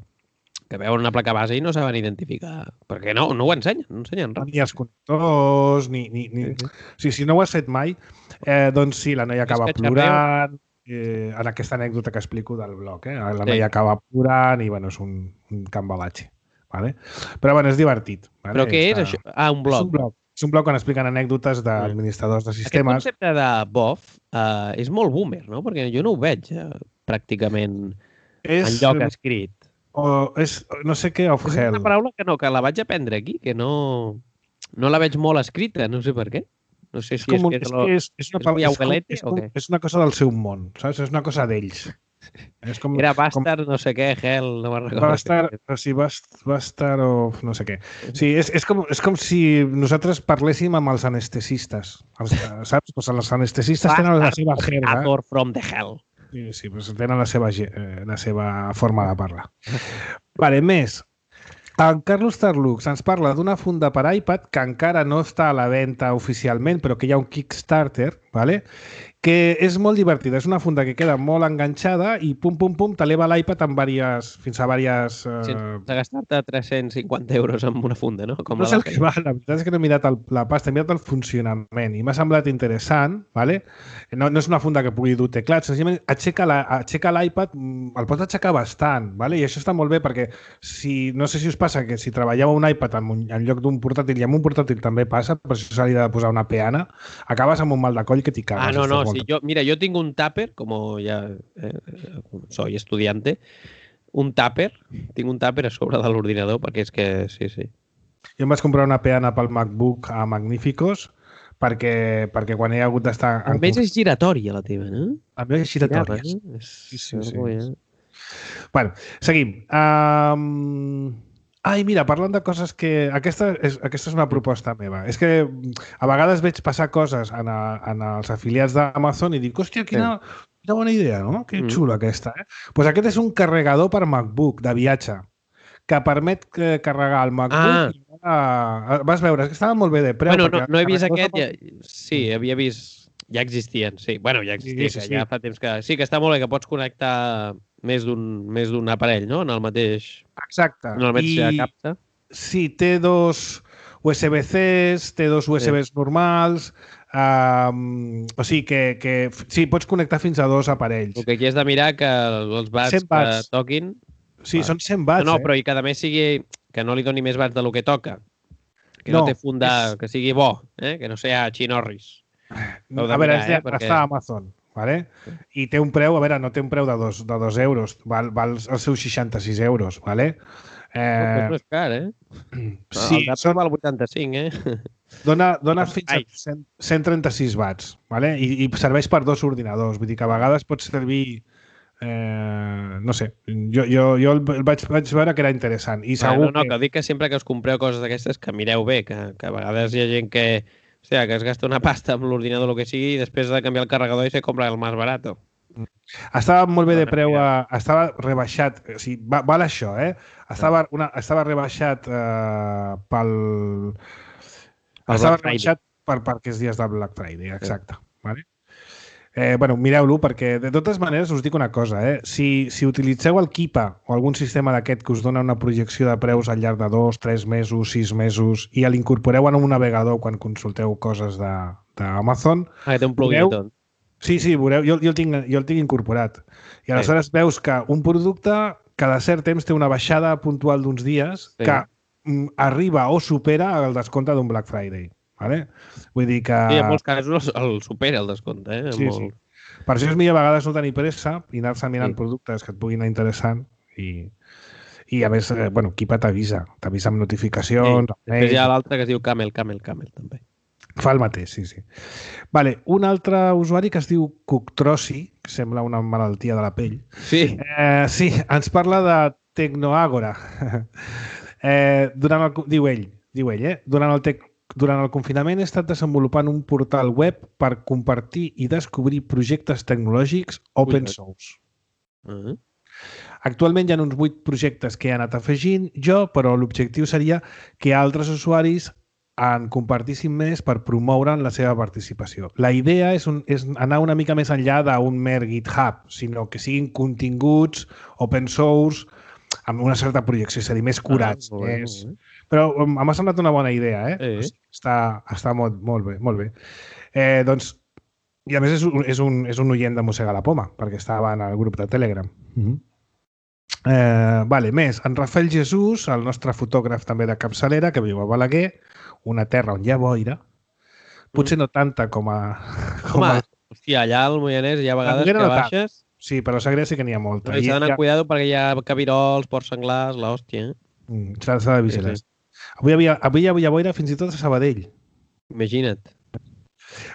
que veuen una placa base i no saben identificar. Perquè no, no ho ensenyen, no ensenyen res. Ni els connectors, ni... ni, ni... Sí, sí. O sigui, si no ho has fet mai, eh, doncs sí, la noia acaba És que plorant, eh, en aquesta anècdota que explico del blog, eh? La Sí. noia acaba plorant i, bueno, és un, un cambalatge. Vale? Però, bueno, és divertit. Vale? Però què és Està- això? Ah, un És blog. un blog. És un blog on expliquen anècdotes d'administradors de Aquest sistemes. concepte de B O F uh, és molt boomer, no? Perquè jo no ho veig uh, pràcticament És, enlloc escrit. o, és, no sé què, of És hell. una paraula que no, que la vaig aprendre aquí, que no, no la veig molt escrita, no sé per què. No sé És, si com, un- és que és, és, lo... que és, és, una, és pala- muy és, com, abuelete és, o com, què? és una cosa del seu món, saps? És una cosa d'ells. És com, Era com, Bastard, no sé què, Hell, no me'n recordo. va estar, o sigui, va, est- va estar o no sé què. Sí, és, és, com, és com si nosaltres parléssim amb els anestesistes. Els, saps? Pues els anestesistes tenen la seva jerga. Actor from the Hell. Sí, sí, pues tenen la seva, ge- eh, la seva forma de parlar. Vale, més. En Carlos Tarlux ens parla d'una funda per iPad que encara no està a la venda oficialment, però que hi ha un Kickstarter, ¿vale? Que és molt divertida. És una funda que queda molt enganxada i pum, pum, pum, t'eleva l'iPad en varias, fins a diverses... Eh... Sense gastar-te tres-cents cinquanta euros en una funda, no? Com No la sé el d'Apple. que va, la veritat és que no he mirat el, la pasta, he mirat el funcionament i m'ha semblat interessant, ¿vale? No, no és una funda que pugui dur teclats, senzillament aixeca la- aixeca l'iPad, mm, el pots aixecar bastant, ¿vale? I això està molt bé perquè si, no sé si us passa que si treballeu un iPad en, un, en lloc d'un portàtil, i amb un portàtil també passa, per això s'ha de posar una peana, acabes amb un mal de coll que t'hi cagues. Ah, no, no, Estàs sí, molt- yo, mira, yo tengo un tupper, como ya eh, soy estudiante, un tàper, tinc un tàper a sobre de l'ordinador, perquè és que, sí, sí. Jo em vaig comprar una peana pel MacBook a Magnificos, perquè, perquè quan he hagut d'estar... A més és giratòria, la teva, no? A més és giratòria. Eh? Sí, sí, sí. Ja. Bueno, seguim. Um... Ai, mira, parlant de coses que... Aquesta és, aquesta és una proposta meva. És que a vegades veig passar coses en, a, en els afiliats d'Amazon i dic, hòstia, quina, quina bona idea, no? Que xula aquesta, eh? Doncs pues aquest és un carregador per MacBook de viatge que permet carregar el MacBook. Ah. I, vas veure, és que estava molt bé de preu. Bueno, no, no he vist aquest. Ja, sí, havia vist... Ja existien, sí. Bueno, ja existien, sí, sí, sí. Ja fa temps que... Sí, que està molt bé, que pots connectar més d'un més d'un aparell, no? En el mateix... Exacte. En el mateix I... capta. Sí, té dos U S B Cs, té dos U S Bs sí. normals, um, o sigui que, que sí, pots connectar fins a dos aparells. El que aquí has de mirar que els watts que toquin... Sí, ah. són cent watts, no, no, eh? però i que a més sigui... Que no li doni més watts del que toca. Que no, no té fundar, és... que sigui bo, eh? Que no sigui xinorris. A veure, mirar, eh? Perquè... està a Amazon. Vale? I té un preu, a veure, no té un preu de dos, de dos euros, val, val els seus seixanta-sis euros, vale? Eh... No és car, eh? Sí, el són... val vuitanta-cinc, eh? Dona, dona fins a cent trenta-sis watts, vale? I, i serveix per dos ordinadors, vull dir que a vegades pot servir, eh, no sé, jo, jo, jo el vaig, vaig veure que era interessant. I segur no, no, que... que dic que sempre que us compreu coses d'aquestes que mireu bé, que, que a vegades hi ha gent que... O sigui, que es gasta una pasta amb l'ordinador o el que sigui i després de canviar el carregador i se compra el més barat. Estava molt bé de preu, a, estava rebaixat, o sigui, va, val això, eh? Estava, una, estava rebaixat eh, pel... El estava rebaixat per, per aquests dies del Black Friday, exacte. Sí. Vale? Eh, bueno, mireu-lo, perquè de totes maneres us dic una cosa, eh? Si, si utilitzeu el Keepa o algun sistema d'aquest que us dona una projecció de preus al llarg de dos, tres mesos, sis mesos i l'incorporeu en un navegador quan consulteu coses d'Amazon... Ah, que té un plugin i tot. Sí, sí, veureu, jo, jo, el tinc, jo el tinc incorporat. I aleshores sí. veus que un producte cada cert temps té una baixada puntual d'uns dies sí. que mm, arriba o supera el descompte d'un Black Friday. Vale? Vull dir que... Sí, en molts casos el supera el descompte. Eh? Sí, molt... sí. Per això és millor a vegades no tenir pressa i anar-se mirant sí. productes que et puguin anar interessant i, i a més, eh, bueno, Keepa t'avisa, t'avisa amb notificacions. Sí. Després hi ha l'altre que es diu Camel, Camel, Camel, també. Fa el mateix, sí, sí. Vale, un altre usuari que es diu Cuctrosi, que sembla una malaltia de la pell. Sí. Eh, sí, ens parla de Tecnoàgora. eh, durant el, diu ell, diu ell, eh? Durant el tec Durant el confinament he estat desenvolupant un portal web per compartir i descobrir projectes tecnològics open source. Uh-huh. Actualment hi ha uns vuit projectes que he anat afegint jo, però l'objectiu seria que altres usuaris en compartissin més per promoure la seva participació. La idea és, un, és anar una mica més enllà d'un mer GitHub, sinó que siguin continguts open source amb una certa projecció, és a dir, més curats. Ah, bé, és... Però m'ha semblat una bona idea, eh? Sí. O sigui, està està molt, molt bé, molt bé. Eh, doncs, i a més és un, és, un, és un oient de Mossegar la Poma, perquè estava en el grup de Telegram. Uh-huh. eh, vale, més, en Rafael Jesús, el nostre fotògraf també de capçalera, que viu a Balaguer, una terra on hi ha boira, potser no tanta com a... Com Home, a... hòstia, allà al Moianès hi ha vegades que no baixes... Sí, però a Sagrera sí que n'hi ha molta. Però s'ha d'anar ha... cuidado perquè hi ha cabirols, porcs senglars, l'hòstia. Eh? Mm, s'ha de vigilar. Sí, sí. Avui, havia, avui hi havia boira fins i tot a Sabadell. Imagina't.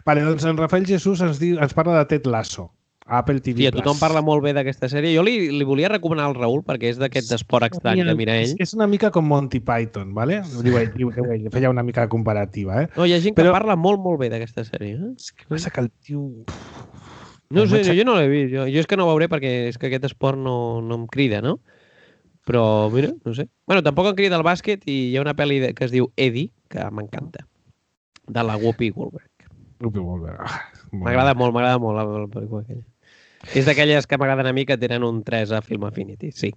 Vale, doncs en Rafael Jesús ens, diu, ens parla de Ted Lasso, a Apple T V Plus. Sí, tothom parla molt bé d'aquesta sèrie. Jo li, li volia recomanar al Raül perquè és d'aquest esport estrany que mira ell. És una mica com Monty Python, ¿vale? Diu ell, diu, diu ell, feia una mica comparativa, eh? No, hi ha gent Però... que parla molt, molt bé d'aquesta sèrie. Eh? És que passa que el tio... No sé, jo no l'he vist. Jo, jo és que no ho veuré perquè és que aquest esport no, no em crida, no? Però, mira, no sé. Bueno, tampoc em crida el bàsquet i hi ha una pel·li que es diu Eddie, que m'encanta, de la Whoopi Goldberg. Whoopi Goldberg. Ah, m'agrada molt, m'agrada molt la, la pel·lícula aquella. És d'aquelles que m'agraden a mi que tenen un tres a Film Affinity, sí.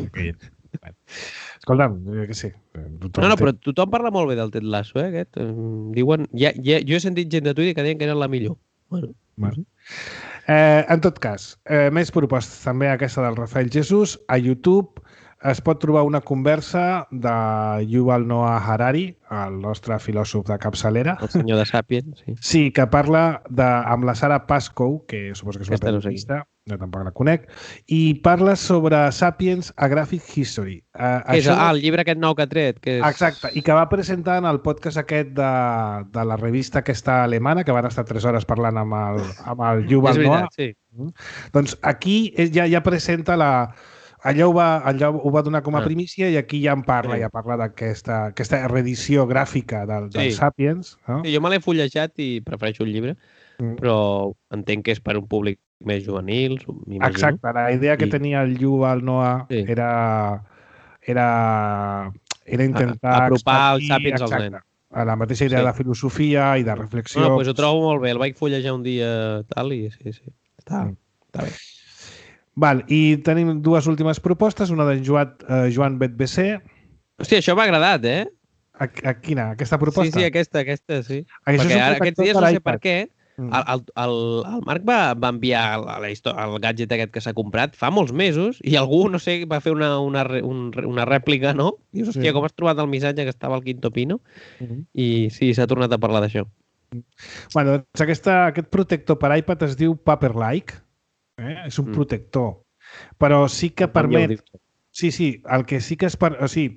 Okay. Escolta'm, que sí. No, no, però tothom parla molt bé del Ted Lasso, eh, aquest. Diuen... Ja, ja, jo he sentit gent de Twitter que deien que era la millor. Bueno, bueno. Eh, en tot cas, eh, més propostes també aquesta del Rafael Jesús. A YouTube es pot trobar una conversa de Yuval Noah Harari, el nostre filòsof de capçalera. El senyor de Sapiens, sí. Sí, que parla de, amb la Sara Pascoe, que suposo que és una aquesta periodista, jo tampoc la conec, i parla sobre Sapiens a Graphic History. Uh, que és, ah, el llibre aquest nou que ha tret. Que és... Exacte, i que va presentar en el podcast aquest de, de la revista aquesta alemana, que van estar tres hores parlant amb el, amb el Yuval Noah. És veritat, sí. Mm. Doncs aquí ja, ja presenta la... Allò ho va, allò ho va donar com a primícia i aquí ja en parla, sí. ja parla d'aquesta aquesta reedició gràfica del, del sí. Sapiens. No? Sí, jo me l'he fullejat i prefereixo el llibre, mm. però entenc que és per un públic més juvenil, m'imagino. Exacte, la idea que I... tenia el Yuval Noah sí. era, era, era intentar... A, apropar els Sapiens als nens. A la mateixa idea sí. de filosofia i de reflexió. No, doncs ho trobo molt bé, el vaig fullejar un dia tal i sí, sí, està, mm. està bé. Val, i tenim dues últimes propostes, una de Joan, uh, Joan Betbesé. Hòstia, això m'ha agradat, eh? A, a quina? Aquesta proposta? Sí, sí, aquesta, aquesta, sí. Això perquè ara, aquests dies, no sé per què, mm. el, el, el, el Marc va, va enviar el, el gadget aquest que s'ha comprat fa molts mesos i algú, no sé, va fer una, una, un, una rèplica, no? Dius, hòstia, sí. com has trobat el missatge que estava al Quinto Pino? Mm-hmm. I sí, s'ha tornat a parlar d'això. Bueno, doncs aquesta, aquest protector per iPad es diu Paperlike. Eh? És un mm. protector, però sí que permet... Sí, sí, el que sí que és... Per... O sigui,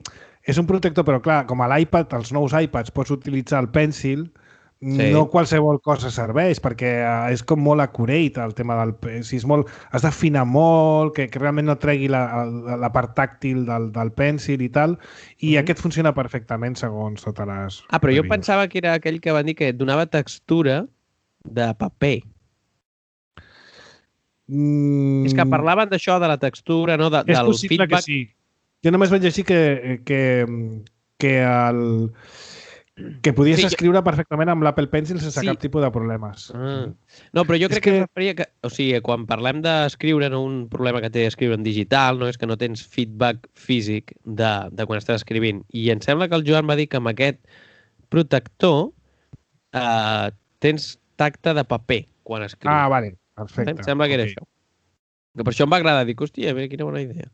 és un protector, però clar, com a l'iPad, els nous iPads, pots utilitzar el Pencil, sí. no qualsevol cosa serveix, perquè és com molt accurate el tema del... Si és molt... Has d'afinar molt, que, que realment no tregui la, la part tàctil del, del Pencil i tal, i mm. aquest funciona perfectament segons totes les... Ah, però jo pensava que era aquell que van dir que donava textura de paper. Mm. És que parlaven d'això, de la textura, no? De, és del possible feedback. Que sí. Jo només vaig llegir que, que, que, el, que podies sí, escriure perfectament amb l'Apple Pencil sense sí. cap tipus de problemes. Ah. No, però jo crec que... que es referia que... O sigui, quan parlem d'escriure, no, un problema que té escriure en digital, no és que no tens feedback físic de, de quan estàs escrivint. I em sembla que el Joan va dir que amb aquest protector eh, tens tacte de paper quan escrius. Ah, vale. Perfecte. Em sembla que era okay. això. Que per això em va agradar. Dic, hòstia, bé, quina bona idea.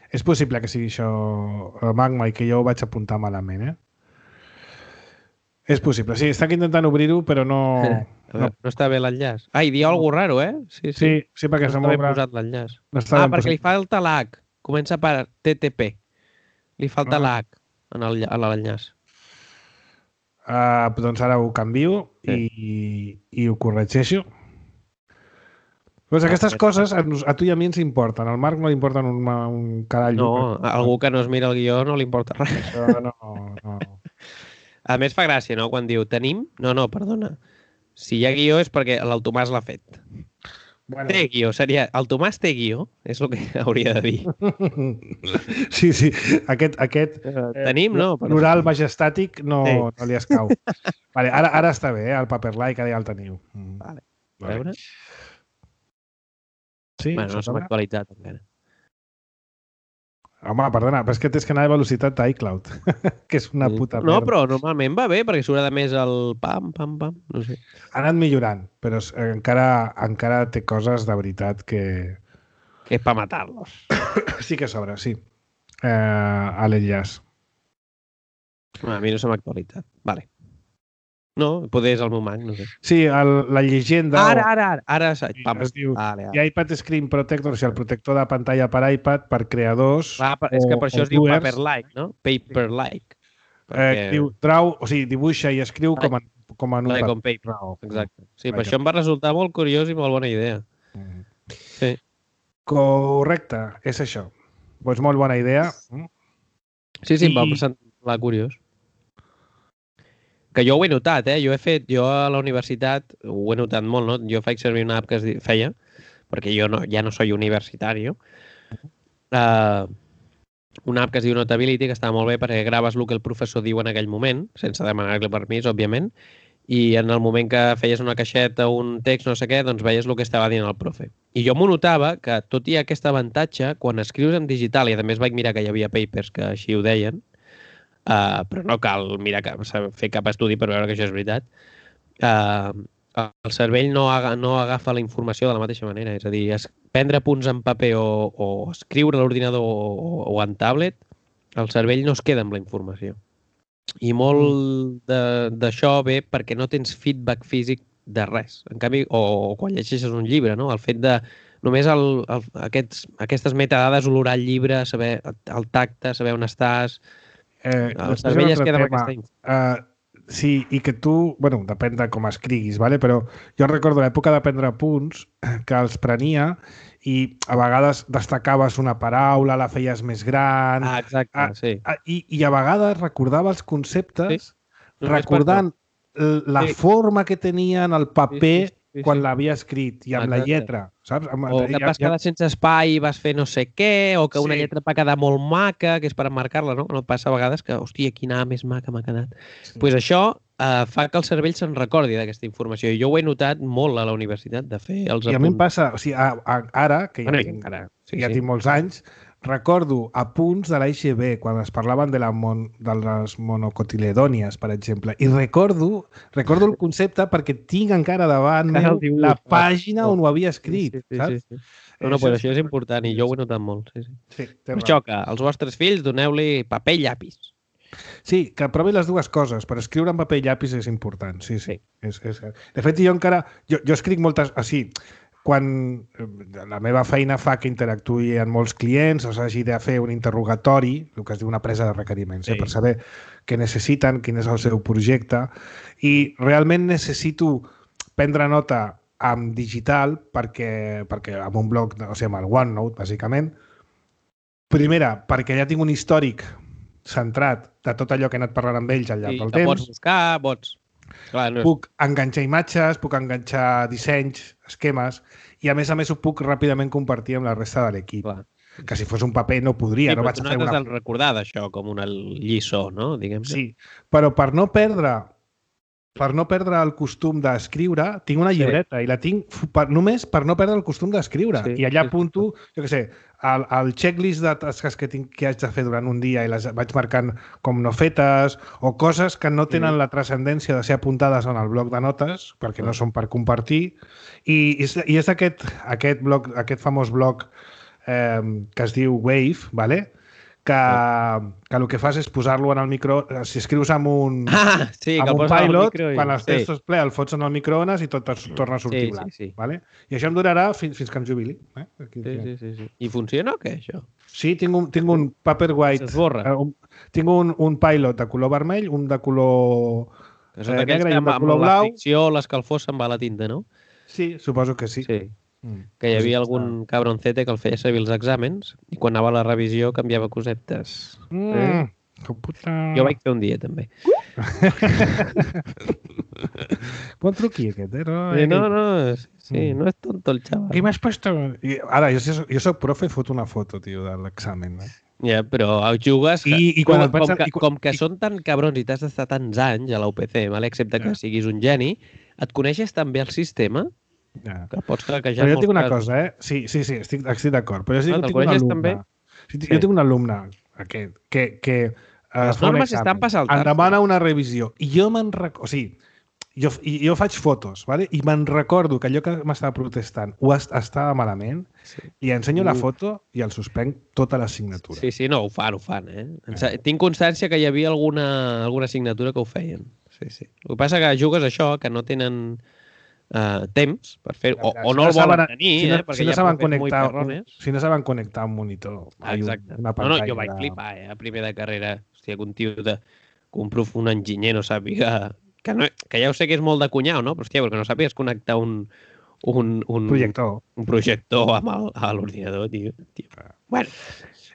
És possible que sigui això, Magma, i que jo ho vaig apuntar malament, eh? És possible. Sí, està intentant obrir-ho, però no... no... no està bé l'enllaç. Ah, i dia alguna cosa raro, eh? Sí, sí, sí, sí perquè no s'ha està ben posat l'enllaç. No ah, perquè li falta l'H. Comença per T T P. Li falta ah. l'H en l'enllaç. Uh, doncs ara ho canvio sí. i, i ho corregeixo. Pues aquestes coses a, a tu i a mi ens importen. Al Marc no li importen un, un carall. No, a algú que no es mira el guió no li importa res. Això no, no. A més fa gràcia, no? Quan diu tenim... No, no, perdona. Si hi ha guió és perquè el Tomàs l'ha fet. Bueno. Té guió, seria... El Tomàs té guió, és el que hauria de dir. Sí, sí. Aquest... aquest uh, tenim, no? Però... Plural majestàtic no, sí. no li escau. Vale, ara, ara està bé, eh? El Paperlike, ara ja el teniu. Mm. Vale. A veure... Sí, bueno, no som actualitzat encara. Home, perdona, però és que tens que anar a velocitat d'iCloud, que és una puta merda. No, però normalment va bé, perquè surt a més el pam, pam, pam, no sé. Ha anat millorant, però encara, encara té coses de veritat que... Que és per matar-los. Sí que sobra, sí. Eh, a l'enllaç. A mi no se m'ha actualitzat. Vale. No, poder és el meu Mac, no sé. Sí, el, la llegenda... Ara, ara, ara. ara pam. Es diu vale, vale. iPad Screen Protector, o sigui, el protector de pantalla per iPad per creadors... Va, és que per això es diu Paperlike, no? Paperlike. Perquè... Eh, diu, trau, o sigui, dibuixa i escriu like, com, en, com en un like paper. paper. Exacte. Sí, like per això em va resultar molt curiós i molt bona idea. Mm. Sí. Correcte, és això. Doncs molt bona idea. Sí, sí, I... em va semblar curiós. Que jo ho he notat, eh? Jo he fet, jo a la universitat ho he notat molt, no? Jo faig servir una app que es feia, perquè jo no, ja no soy universitari. Uh, una app que es diu Notability, que està molt bé perquè graves el que el professor diu en aquell moment, sense demanar-li permís, òbviament, i en el moment que feies una caixeta o un text, no sé què, doncs veies el que estava dient el profe. I jo m'ho notava que, tot i aquest avantatge, quan escrius en digital, i a més vaig mirar que hi havia papers que així ho deien, Uh, però no cal mirar cap, fer cap estudi per veure que això és veritat, uh, el cervell no, aga, no agafa la informació de la mateixa manera. És a dir, es, prendre punts en paper o, o escriure a l'ordinador o, o en tablet, el cervell no es queda amb la informació. I molt d'això ve perquè no tens feedback físic de res. En canvi, o, o quan llegeixes un llibre, no? El fet de només el, el, aquests, aquestes metadades, olorar el llibre, saber el tacte, saber on estàs... Eh, el cervell es queda amb aquesta info. Uh, sí, i que tu... Bueno, depèn de com escriguis, ¿vale? Però jo recordo l'època de prendre apunts que els prenia i a vegades destacaves una paraula, la feies més gran... Ah, exacte, a, sí. A, i, I a vegades recordava els conceptes sí. recordant la sí. forma que tenien el paper sí, sí, sí, quan sí. l'havia escrit i amb exacte. la lletra, saps? Amb, o que et vas quedar ja... sense espai i vas fer no sé què, o que una sí. lletra va quedar molt maca, que és per emmarcar-la, no? No et passa a vegades que, hòstia, quina A més maca m'ha quedat. Doncs sí. pues això eh, fa que el cervell se'n recordi d'aquesta informació. I jo ho he notat molt a la universitat, de fer els apunts. I a mi em passa, o sigui, a, a, ara, que ja, bueno, tinc, encara, sí, ja sí. tinc molts anys, recordo apunts de l'A I X B quan es parlaven de, la mon, de les monocotiledònies, per exemple, i recordo recordo el concepte perquè tinc encara davant meu la pàgina on ho havia escrit, sí, sí, saps? Sí, sí. No, no, però això és important i jo ho he notat molt. Sí, sí. Sí, per això que als vostres fills doneu-li paper i llapis. Sí, que provi les dues coses, però escriure en paper i llapis és important, sí, sí. sí. És, és... De fet, jo encara... Jo, jo escric moltes... Ah, sí, quan la meva feina fa que interactuï amb molts clients o s'hagi de fer un interrogatori, el que es diu una presa de requeriments, sí. eh, per saber què necessiten, quin és el seu projecte, i realment necessito prendre nota en digital perquè, perquè amb un bloc, o sigui, amb el OneNote, bàsicament, primera, perquè ja tinc un històric centrat de tot allò que he anat parlant amb ells al llarg sí, del temps. Pots buscar, pots... Clar, no és... Puc enganxar imatges, puc enganxar dissenys, esquemes, i a més a més ho puc ràpidament compartir amb la resta de l'equip. Que si fos un paper no podria. Sí, no però vaig tu a fer no una... t'has de recordar d'això com una lliçó, no? Diguem-ne. Sí, però per no perdre per no perdre el costum d'escriure, tinc una llibreta sí. i la tinc per, només per no perdre el costum d'escriure. Sí, I allà sí, apunto, sí. jo què sé, el, el checklist de tasques que, tinc, que haig de fer durant un dia i les vaig marcant com no fetes o coses que no tenen sí. la transcendència de ser apuntades en el bloc de notes, perquè sí. no són per compartir. I, i és aquest, aquest, bloc, aquest famós bloc eh, que es diu Wave, ¿vale? que, que el que fas és posar-lo en el micro... Si escrius amb un, ah, sí, amb un pilot, micro i... quan els sí. textos ple el fots en el microones i tot es torna a sortir sí, blanc. Sí, sí. Vale? I això em durarà fins, fins que em jubili. Eh? Aquí, sí, sí, sí, sí. I funciona o què, això? Sí, tinc un, tinc un Paperwhite. S'esborra. Eh, un, tinc un, un pilot de color vermell, un de color eh, negre i un de color blau. Amb la fricció, l'escalfor se'n va a la tinta, no? Sí, suposo que sí. Sí. Que hi havia algun cabroncete que el feia servir els exàmens i quan anava a la revisió canviava cosetes. Mm, eh? Que puta... Jo vaig fer un dia, també. Bon truqui, aquest, eh? No, sí, no, no, sí, mm. no és tonto el xaval. Qui m'has puesto? I ara, jo, jo soc profe i foto una foto, tio, de l'examen. Eh? Ja, però jugues... I, i com, quan com, pensa, que, i, com que i, són tan cabrons i t'has d'estar tants anys a la U P C, vale? Excepte que ja. siguis un geni, et coneixes també el sistema... Ja. Que pots quequejar però jo tinc una casos. cosa, eh? Sí, sí, sí, estic, estic d'acord. Però jo, no, tinc, tinc un alumne, també? Sí. Jo tinc un alumne aquest, que, que les normes estan per saltar. Em demana una revisió. I jo me'n recordo... O sigui, jo, jo faig fotos, ¿vale? I me'n recordo que allò que m'estava protestant ho est estava malament, sí. li ensenyo uh. la foto i el suspenc tota l'assignatura. Sí, sí, no, ho fan, ho fan, eh? eh? Tinc constància que hi havia alguna, alguna assignatura que ho feien. Sí, sí. El que passa que jugues això, que no tenen... Uh, temps per fer o, o no, no el volen saben, tenir si no, eh, perquè si no ja saben connectar un, si no saben connectar un monitor exacte una no, no, jo vaig de... flipar eh, a primer de carrera hòstia, que un tio de, que un, prof, un enginyer no sàpiga que, no, que ja ho sé que és molt de cunyau no? Però hòstia, perquè no sàpigues connectar un un, un projector un projector amb el, a l'ordinador tio. tio. Bueno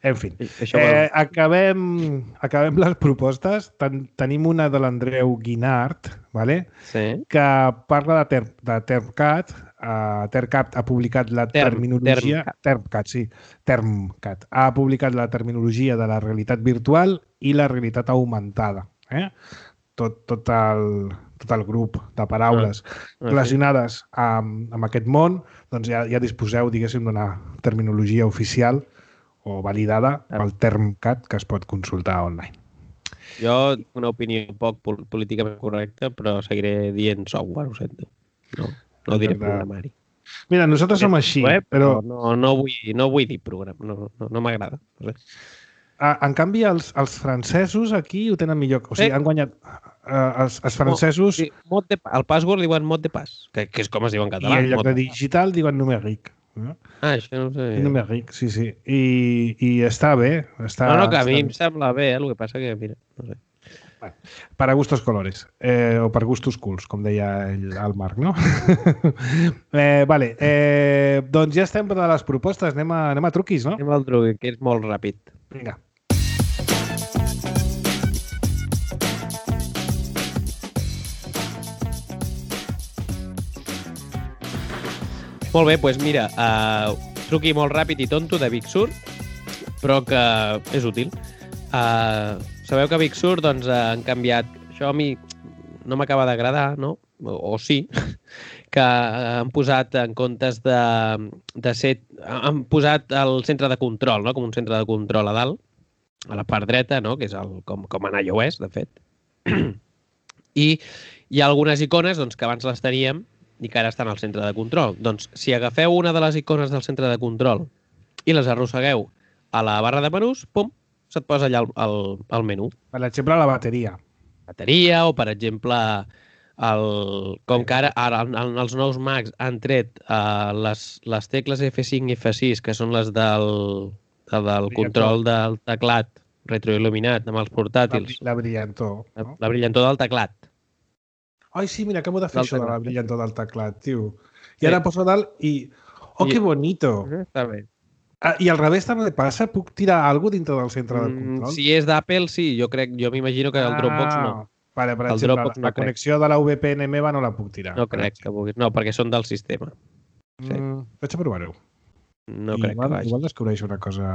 en fi, eh, acabem, acabem les propostes. Ten, tenim una de l'Andreu Guinart, ¿vale? Sí. Que parla de, ter, de TermCAT. Uh, TermCAT ha publicat la Term, terminologia... TermCAT. TermCAT, sí. TermCAT. Ha publicat la terminologia de la realitat virtual i la realitat augmentada. Eh? Tot, tot, el, tot el grup de paraules ah, relacionades amb, amb aquest món, doncs ja, ja disposeu, diguéssim, d'una terminologia oficial o validada pel TermCAT que es pot consultar online. Jo, una opinió poc políticament correcta, però seguiré dient software, ho sento. No, no diré programari. Mira, nosaltres som així, web, però... No, no, vull, no vull dir programa, no, no, no m'agrada. No sé. en canvi, els, els francesos aquí ho tenen millor. O sigui, Sí. han guanyat... Uh, els, els francesos... Sí, mot de, el password diuen mot de pas, que, que és com es diu en I català. en lloc mot de pas. digital diuen numèric. Eh? Ah, això no ho sabia. Numèric, sí, sí. I, i està bé. Està, No, no, que a mi està em sembla bé, eh? El que passa que, mira, no sé. Para gustos colores, eh, o per gustos culs, com deia el, el Marc, no? eh, vale, eh, doncs ja estem per a les propostes, anem a, anem a truquis, no? Anem al truc, que és molt ràpid. Vinga. Molt bé, doncs mira, uh, truqui molt ràpid i tonto de Big Sur, però que és útil. Uh, sabeu que a Big Sur doncs, uh, han canviat... Això a mi no m'acaba d'agradar, no? O, o sí, que han posat en comptes de, de ser... Han posat el centre de control, no? Com un centre de control a dalt, a la part dreta, no? Que és el, com, com en iOS, de fet. I hi ha algunes icones doncs, que abans les teníem i que ara estan al centre de control. Doncs, si agafeu una de les icones del centre de control i les arrossegueu a la barra de menús, pum, se't posa allà el, el, el menú. Per exemple, la bateria. Bateria o, per exemple, el, com que ara, ara en els nous Macs han tret uh, les, les tecles F cinc i F sis, que són les del, de, del control del teclat retroil·luminat amb els portàtils. La, la brillantor. La, No? la brillantor del teclat. Ai, sí, mira, acabo de fer Del això de la teclat. brillantor del teclat, tio. I Sí. ara poso dalt i... Oh, I- que bonito! Està bé. Ah, I al revés també passa? Puc tirar alguna cosa dintre del centre de Mm, control? si és d'Apple, sí. Jo crec, jo m'imagino que el Dropbox no. Ah, Vale, per El exemple, Dropbox la, no la crec. connexió de la V P N meva no la puc tirar. No crec que puguis. No, perquè són del sistema. sí. Mm, vaig a provar-ho. No I crec igual, que vagi. igual descobreixo una cosa...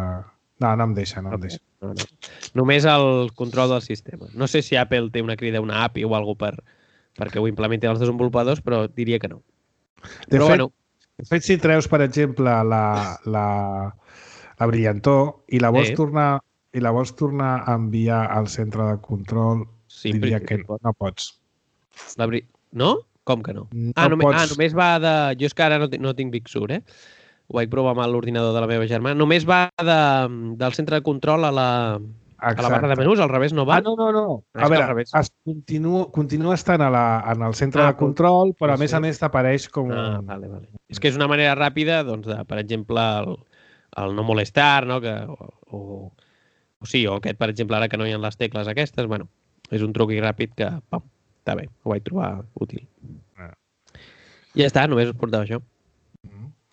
No, no em deixa, no em deixa. No, no. Només el control del sistema. No sé si Apple té una crida, una A P I o alguna per perquè ho implementin els desenvolupadors, però diria que no. De però fet, bueno, de fet, si treus, per exemple, la, la, la brillantor i la vols Sí. tornar i la vols tornar a enviar al centre de control, sí, diria però- que no, no pots. la bri... No? Com que no? No ah, només, pots... ah, només va de... Jo és que ara no, ti- no tinc Big Sur, eh? Ho vaig provar amb l'ordinador de la meva germana. Només va de, del centre de control a la, a la barra de menús, al revés no va? Ah, no, no, no. És A que al veure, revés. es continua, continua estant a la, en el centre Ah, de control, però a sí. més a més t'apareix com... Ah, vale, vale. És que és una manera ràpida, doncs, de, per exemple, el, el no molestar, no? Que, o, o, o sí, o aquest, per exemple, ara que no hi ha les tecles aquestes, bueno, és un truqui ràpid que, pam, està bé, ho vaig trobar útil. Ah. I ja està, només us portava això.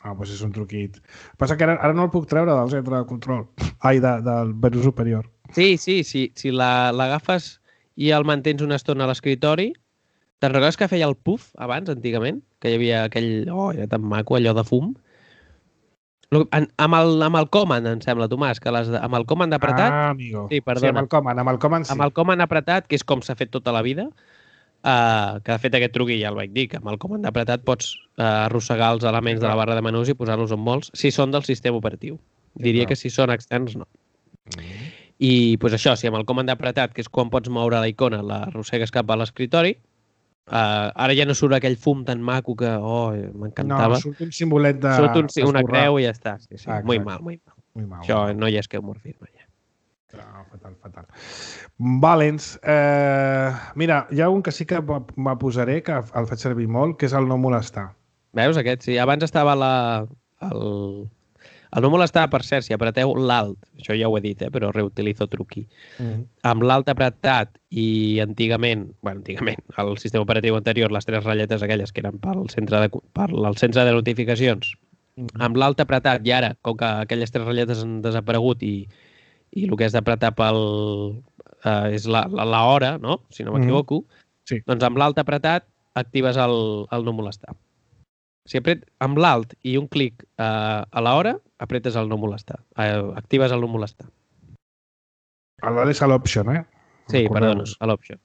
Ah, doncs és un truquit. Passa que ara, ara no el puc treure del centre de control. Ai, de, del menú superior. Sí, sí, sí. Si la- l'agafes i el mantens una estona a l'escritori, te'n recordes que feia el puff abans, antigament? Que hi havia aquell... Oh, era tan maco, allò de fum. Lo- en- Amb el, amb el command, em sembla, Tomàs, que les, de- amb el command apretat, Ah, amigo. Sí, Sí, perdona. amb el command, amb el command sí. amb el command apretat, que és com s'ha fet tota la vida, uh, que de fet aquest truqui ja el vaig dir, que amb el command apretat pots uh, arrossegar els elements de la barra de menús i posar-los on vols, si són del sistema operatiu. Diria que si són externs, no. Mm. I pues això, si amb el comand apretat, que és quan pots moure la icona, l'arrossegues cap a l'escritori, uh, ara ja no surt aquell fum tan maco que, oh, No, m'encantava. surt un simbolet de... Surt un, sí, una d'esborrar. creu i ja està. Sí, sí. Ah, Muy exacte. mal, muy mal. Muy mal. Això no hi ha esquemorfisme, ja. No, fatal, fatal. Valents. Eh, mira, hi ha un que sí que me me posaré, que el faig servir molt, que és el no molestar. Veus aquest? Sí, abans estava la, el, el no molestar, per cert, si apreteu l'alt, això ja ho he dit, eh, però reutilizo truqui. Mm. Amb l'alt apretat i antigament, bueno, antigament, el sistema operatiu anterior, les tres ratlletes aquelles que eren pel centre de, per el centre de notificacions, Mm. amb l'alt apretat i ara, com que aquelles tres ratlletes han desaparegut i, i el que has d'apretar pel, eh, és la, la, la hora, no? Si no m'equivoco, Sí. doncs amb l'alt apretat actives el, el no molestar. Si apret amb l'alt i un clic eh, a l'hora, apretes el no molestar. Eh, actives el no molestar. L'alt és a l'option, eh? Sí, perdona, Recordeu-vos. a l'option.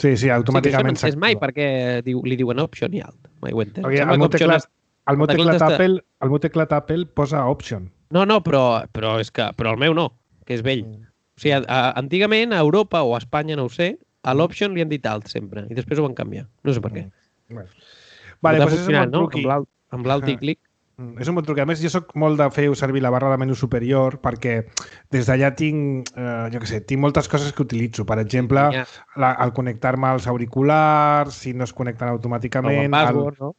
Sí, sí, Sí, que això no automàticament entès mai s'activa. perquè diu, li diuen option i alt. Mai ho he entès. Perquè Sembla el que meu option teclat, és- el meu el teclat teclat està- Apple, el meu teclat Apple posa option. No, no, però, però, és que, però el meu no, que és vell. Mm. O sigui, a, a, antigament a Europa o a Espanya, no ho sé, a l'option li han dit alt sempre i després ho van canviar. No sé per què. Bueno. Però Vale, t'ha doncs és un funcionat, bon no? truqui. Amb l'alt- Amb l'alt i Ah. clic. Mm, és un bon truc. A més, jo soc molt de fer servir la barra de menú superior perquè des d'allà tinc, eh, jo què sé, tinc moltes coses que utilitzo. Per exemple, Ja. la, el connectar-me als auriculars, si no es connecten El automàticament... One Password, no?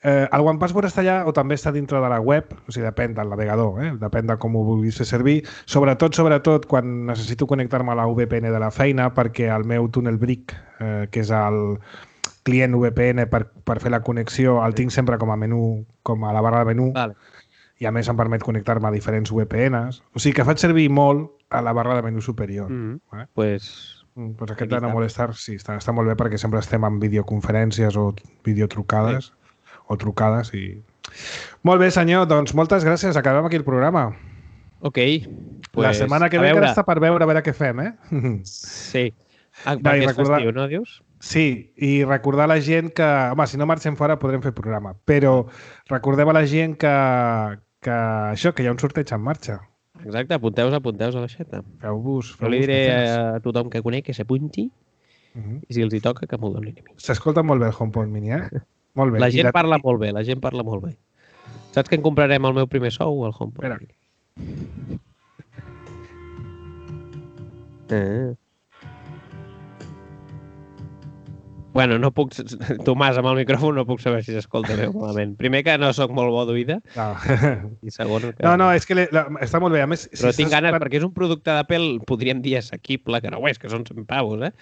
Eh, el One Password està allà o també està dintre de la web, o sigui, depèn del navegador, eh? Depèn de com ho vulguis fer servir. Sobretot, sobretot, quan necessito connectar-me a la V P N de la feina, perquè el meu Tunnel Brick, eh, que és el client V P N per, per fer la connexió, el tinc sempre com a menú, com a la barra de menú, Vale. i a més em permet connectar-me a diferents V P Ns. O sigui que faig servir molt a la barra de menú superior. Mm -hmm. Vale? Pues... Mm, pues aquest de no molestar, sí, està, està molt bé perquè sempre estem en videoconferències o videotrucades. Sí. o trucades i... Molt bé, senyor, doncs moltes gràcies. Acabem aquí el programa. Ok. Pues, la setmana que ve encara està per veure a veure què fem, eh? Sí. Ah, No, perquè i és recordar- festiu, no, dius? Sí, i recordar a la gent que... Home, si no marxem fora podrem fer programa, però recordem a la gent que, que això, que hi ha un sorteig en marxa. Exacte, apunteu-vos, apunteu-vos a l'aixeta. Feu-vos... Jo li feu-vos diré mecenes. a tothom que conec que s'apunti Uh -huh. i si els hi toca que m'ho donin a mi. S'escolta molt bé el HomePod Mini, eh? Molt bé. La I gent parla molt bé, la gent parla molt bé. Saps que en comprarem el meu primer sou, el HomePod? Espera. Eh. Bueno, no puc... Tomàs, amb el micròfon no puc saber si s'escolta bé o malament. Primer que no sóc molt bo d'oïda No. i segon que... no, no, és que le, la, està molt bé. A més, Però si tinc estàs ganes, escoltant- perquè és un producte d'Apple, podríem dir assequible, que no ho és, que són cent pavos, eh?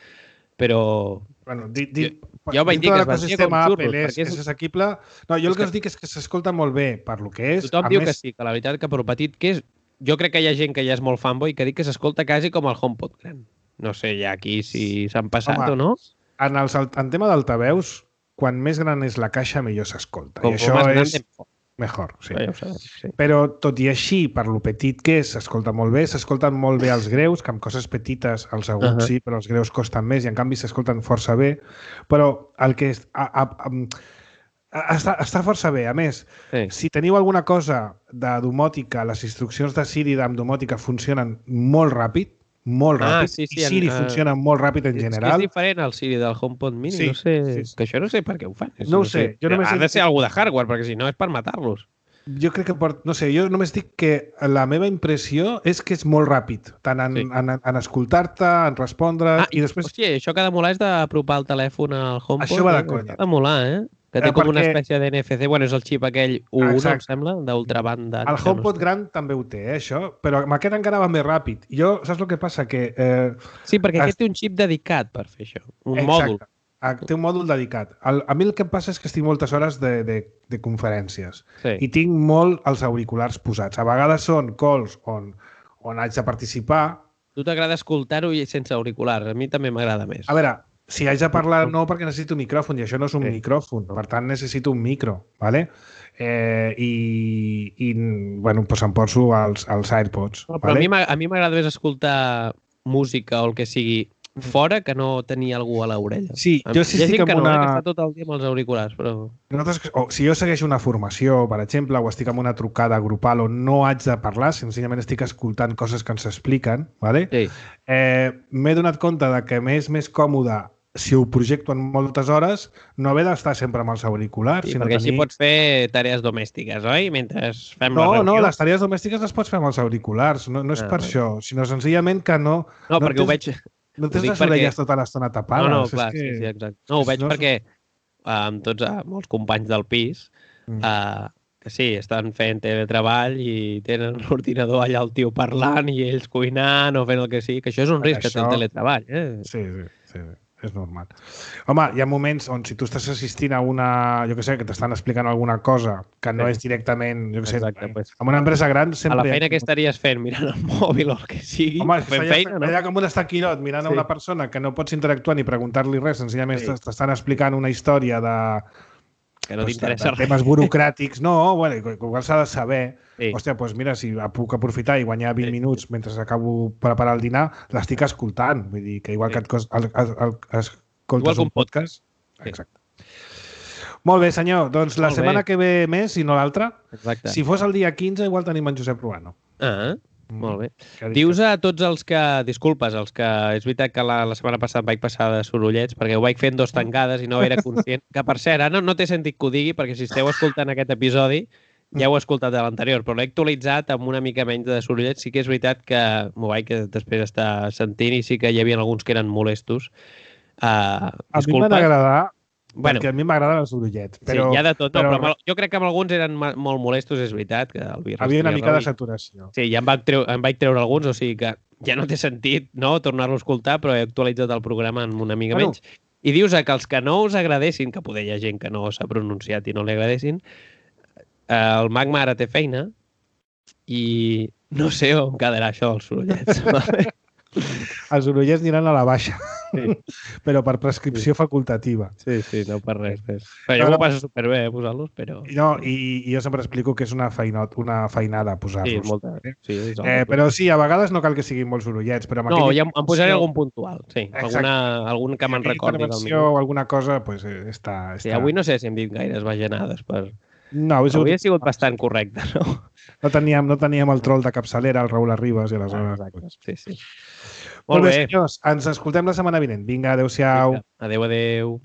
Però... Bueno, di, di, Jo- jo vaig dir dintre que de es vestia l'ecosistema com xurros, Apple és, perquè és- és assequible. No, jo És el que que- us dic és que s'escolta molt bé per lo que és. Tothom a diu més, que sí, que la veritat que per petit que és... Jo crec que hi ha gent que ja és molt fanboy que diu que s'escolta quasi com el HomePod gran. No sé ja aquí si s'han passat Home, o no. En, els, alt- en tema d'altaveus, quan més gran és la caixa, millor s'escolta. Com, I com això més gran, és mejor. mejor. Sí. Ja ho sabem, sí. Però, tot i així, per lo petit que és, s'escolta molt bé. S'escolten molt bé els greus, que amb coses petites els aguts uh Ahà. -huh. sí, però els greus costen més i, en canvi, s'escolten força bé. Però el que és... A, a, a, a, està, està força bé. A més, Sí. si teniu alguna cosa de domòtica, les instruccions de Siri amb domòtica funcionen molt ràpid, molt Ah, ràpid, sí, sí, i Siri en, eh, funciona molt ràpid en És que general. és diferent el Siri del HomePod Mini, Sí, no sé... sí, sí. Que això no sé per què ho fan. No ho sé, jo només Ha he- de ser algú de hardware, perquè si no és per matar-los. Jo crec que, per, no sé, jo només dic que la meva impressió és que és molt ràpid, tant en, Sí. sí. en, en escoltar-te, en respondre, Ah, i després... Hòstia, això que ha de molar és d'apropar el telèfon al HomePod. Això va de eh? conya. Ha de molar, eh? Que té Eh, com una perquè- espècie de N F C. Bueno, és el xip aquell U uno, em Exacte. sembla, d'ultrabanda. El HomePod gran també ho té, eh, això, però amb aquest encara va més ràpid. Jo, saps el que passa? Que... Eh, Sí, perquè Es- aquest té un xip dedicat per fer això. Un exacte, mòdul. ah, té un mòdul dedicat. El, a mi el que passa és que estic moltes hores de, de, de conferències Sí. i tinc molt els auriculars posats. A vegades són calls on, on haig de participar. Tu t'agrada escoltar-ho i sense auriculars. A mi també m'agrada més. A veure, si haig de parlar, no, perquè necessito micròfon, i això no és un Sí. micròfon, per tant necessito un micro, ¿vale? Eh, i, i bueno, doncs em poso els, els AirPods. No, però ¿vale? a mi m'ag- a mi m'agrada més escoltar música o el que sigui fora que no tenir algú a l'orella. Sí, Hi jo ha sí gent estic que amb no, eh, una... que està tot el dia amb els auriculars, però... Nosaltres, o, si jo segueixo una formació, per exemple, o estic en una trucada grupal on no haig de parlar, senzillament estic escoltant coses que ens expliquen, ¿vale? Sí. eh, m'he donat compte de que m'és més còmode si ho projecto en moltes hores, no haver d'estar sempre amb els auriculars, Sí, sinó perquè així tenir... pots fer tarees domèstiques, oi? Mentre fem la No, reunió. no, les tarees domèstiques les pots fer amb els auriculars. No, no és Ah, per vale. això, sinó senzillament que no... No, perquè ho tens, veig... No ho tens dic les perquè- orelles tota l'estona tapades. No, no, és clar, que... sí, sí, exacte. No, ho veig no és- perquè eh, amb tots, eh, molts companys del pis, Mm. eh, que sí, estan fent teletreball i tenen l'ordinador allà el tio parlant i ells cuinant o fent el que sigui, que això és un risc que té el Això- teletreball, eh? Sí, sí, sí, sí, és normal. Home, hi ha moments on si tu estàs assistint a una, jo què sé, que t'estan explicant alguna cosa que no Sí. és directament, jo què sé, Exacte, pues. amb una empresa gran A sempre... la hi ha- feina que estaries fent mirant el mòbil o el que sigui, Home, és que fent feia, feina, no? feia com un estaquirot mirant Sí. a una persona que no pots interactuar ni preguntar-li res, senzillament Sí. sí. t'estan explicant una història de, Que no doncs, t'interessa de res. temes burocràtics. No, bueno, que igual s'ha de saber. Sí. Hòstia, doncs mira, si puc aprofitar i guanyar vint Sí. minuts mentre acabo preparar el dinar, l'estic escoltant. Vull dir que igual Sí. que et cos, el, el, el, escoltes Igual que un un podcast... Sí. Exacte. Molt bé, senyor. Doncs la Molt bé. setmana que ve més, i no l'altra. Exacte. Si fos el dia quinze, igual tenim en Josep Ruano. Ah, molt bé. Que ha dit Dius que- a tots els que... Disculpes, els que... És veritat que la, la setmana passada vaig passar de sorollets perquè ho vaig fent dos tancades i no era conscient. Que, per cert, ara no, no té sentit que ho digui perquè si esteu escoltant aquest episodi ja ho he escoltat de l'anterior, però l'he actualitzat amb una mica menys de sorollet. Sí que és veritat que m'ho vaig que després estar sentint i sí que hi havia alguns que eren molestos. Uh, a mi m'han agradar, bueno, perquè a mi m'agraden els sorollets. Però, sí, hi ha de tot, no, però, però jo crec que amb alguns eren molt molestos, és veritat. Que el havia una mica de saturació. Sí, ja em vaig, treure, em vaig treure alguns, o sigui que ja no té sentit no tornar-lo a escoltar, però he actualitzat el programa en una mica bueno. menys. I dius que els que no us agradessin, que poder hi ha gent que no s'ha pronunciat i no li agradessin, el Magma ara té feina i no sé on quedarà això dels sorollets. Els sorollets aniran a la baixa, sí. però per prescripció sí. facultativa. Sí, sí, no per res. res. Però jo no, m'ho passo superbé eh, posar-los, però... No, i, i jo sempre explico que és una, feinot, una feinada posar-los. Sí, és molta... Sí, és eh, però sí, a vegades no cal que siguin molts sorollets, però... No, ja em posaré algun puntual, sí. Alguna, algun que me'n recordi. Intervenció o alguna cosa, doncs pues, està, està... Sí, avui no sé si hem dit gaires bajanades per... No, avui sigut... ha sigut bastant correcte, no? No teníem, no teníem el troll de capçalera, el Raül Arribas i aleshores... Ah, exacte. Sí, sí. Molt, Molt bé, senyors. Ens escoltem la setmana vinent. Vinga, adeu-siau. Adéu, adéu.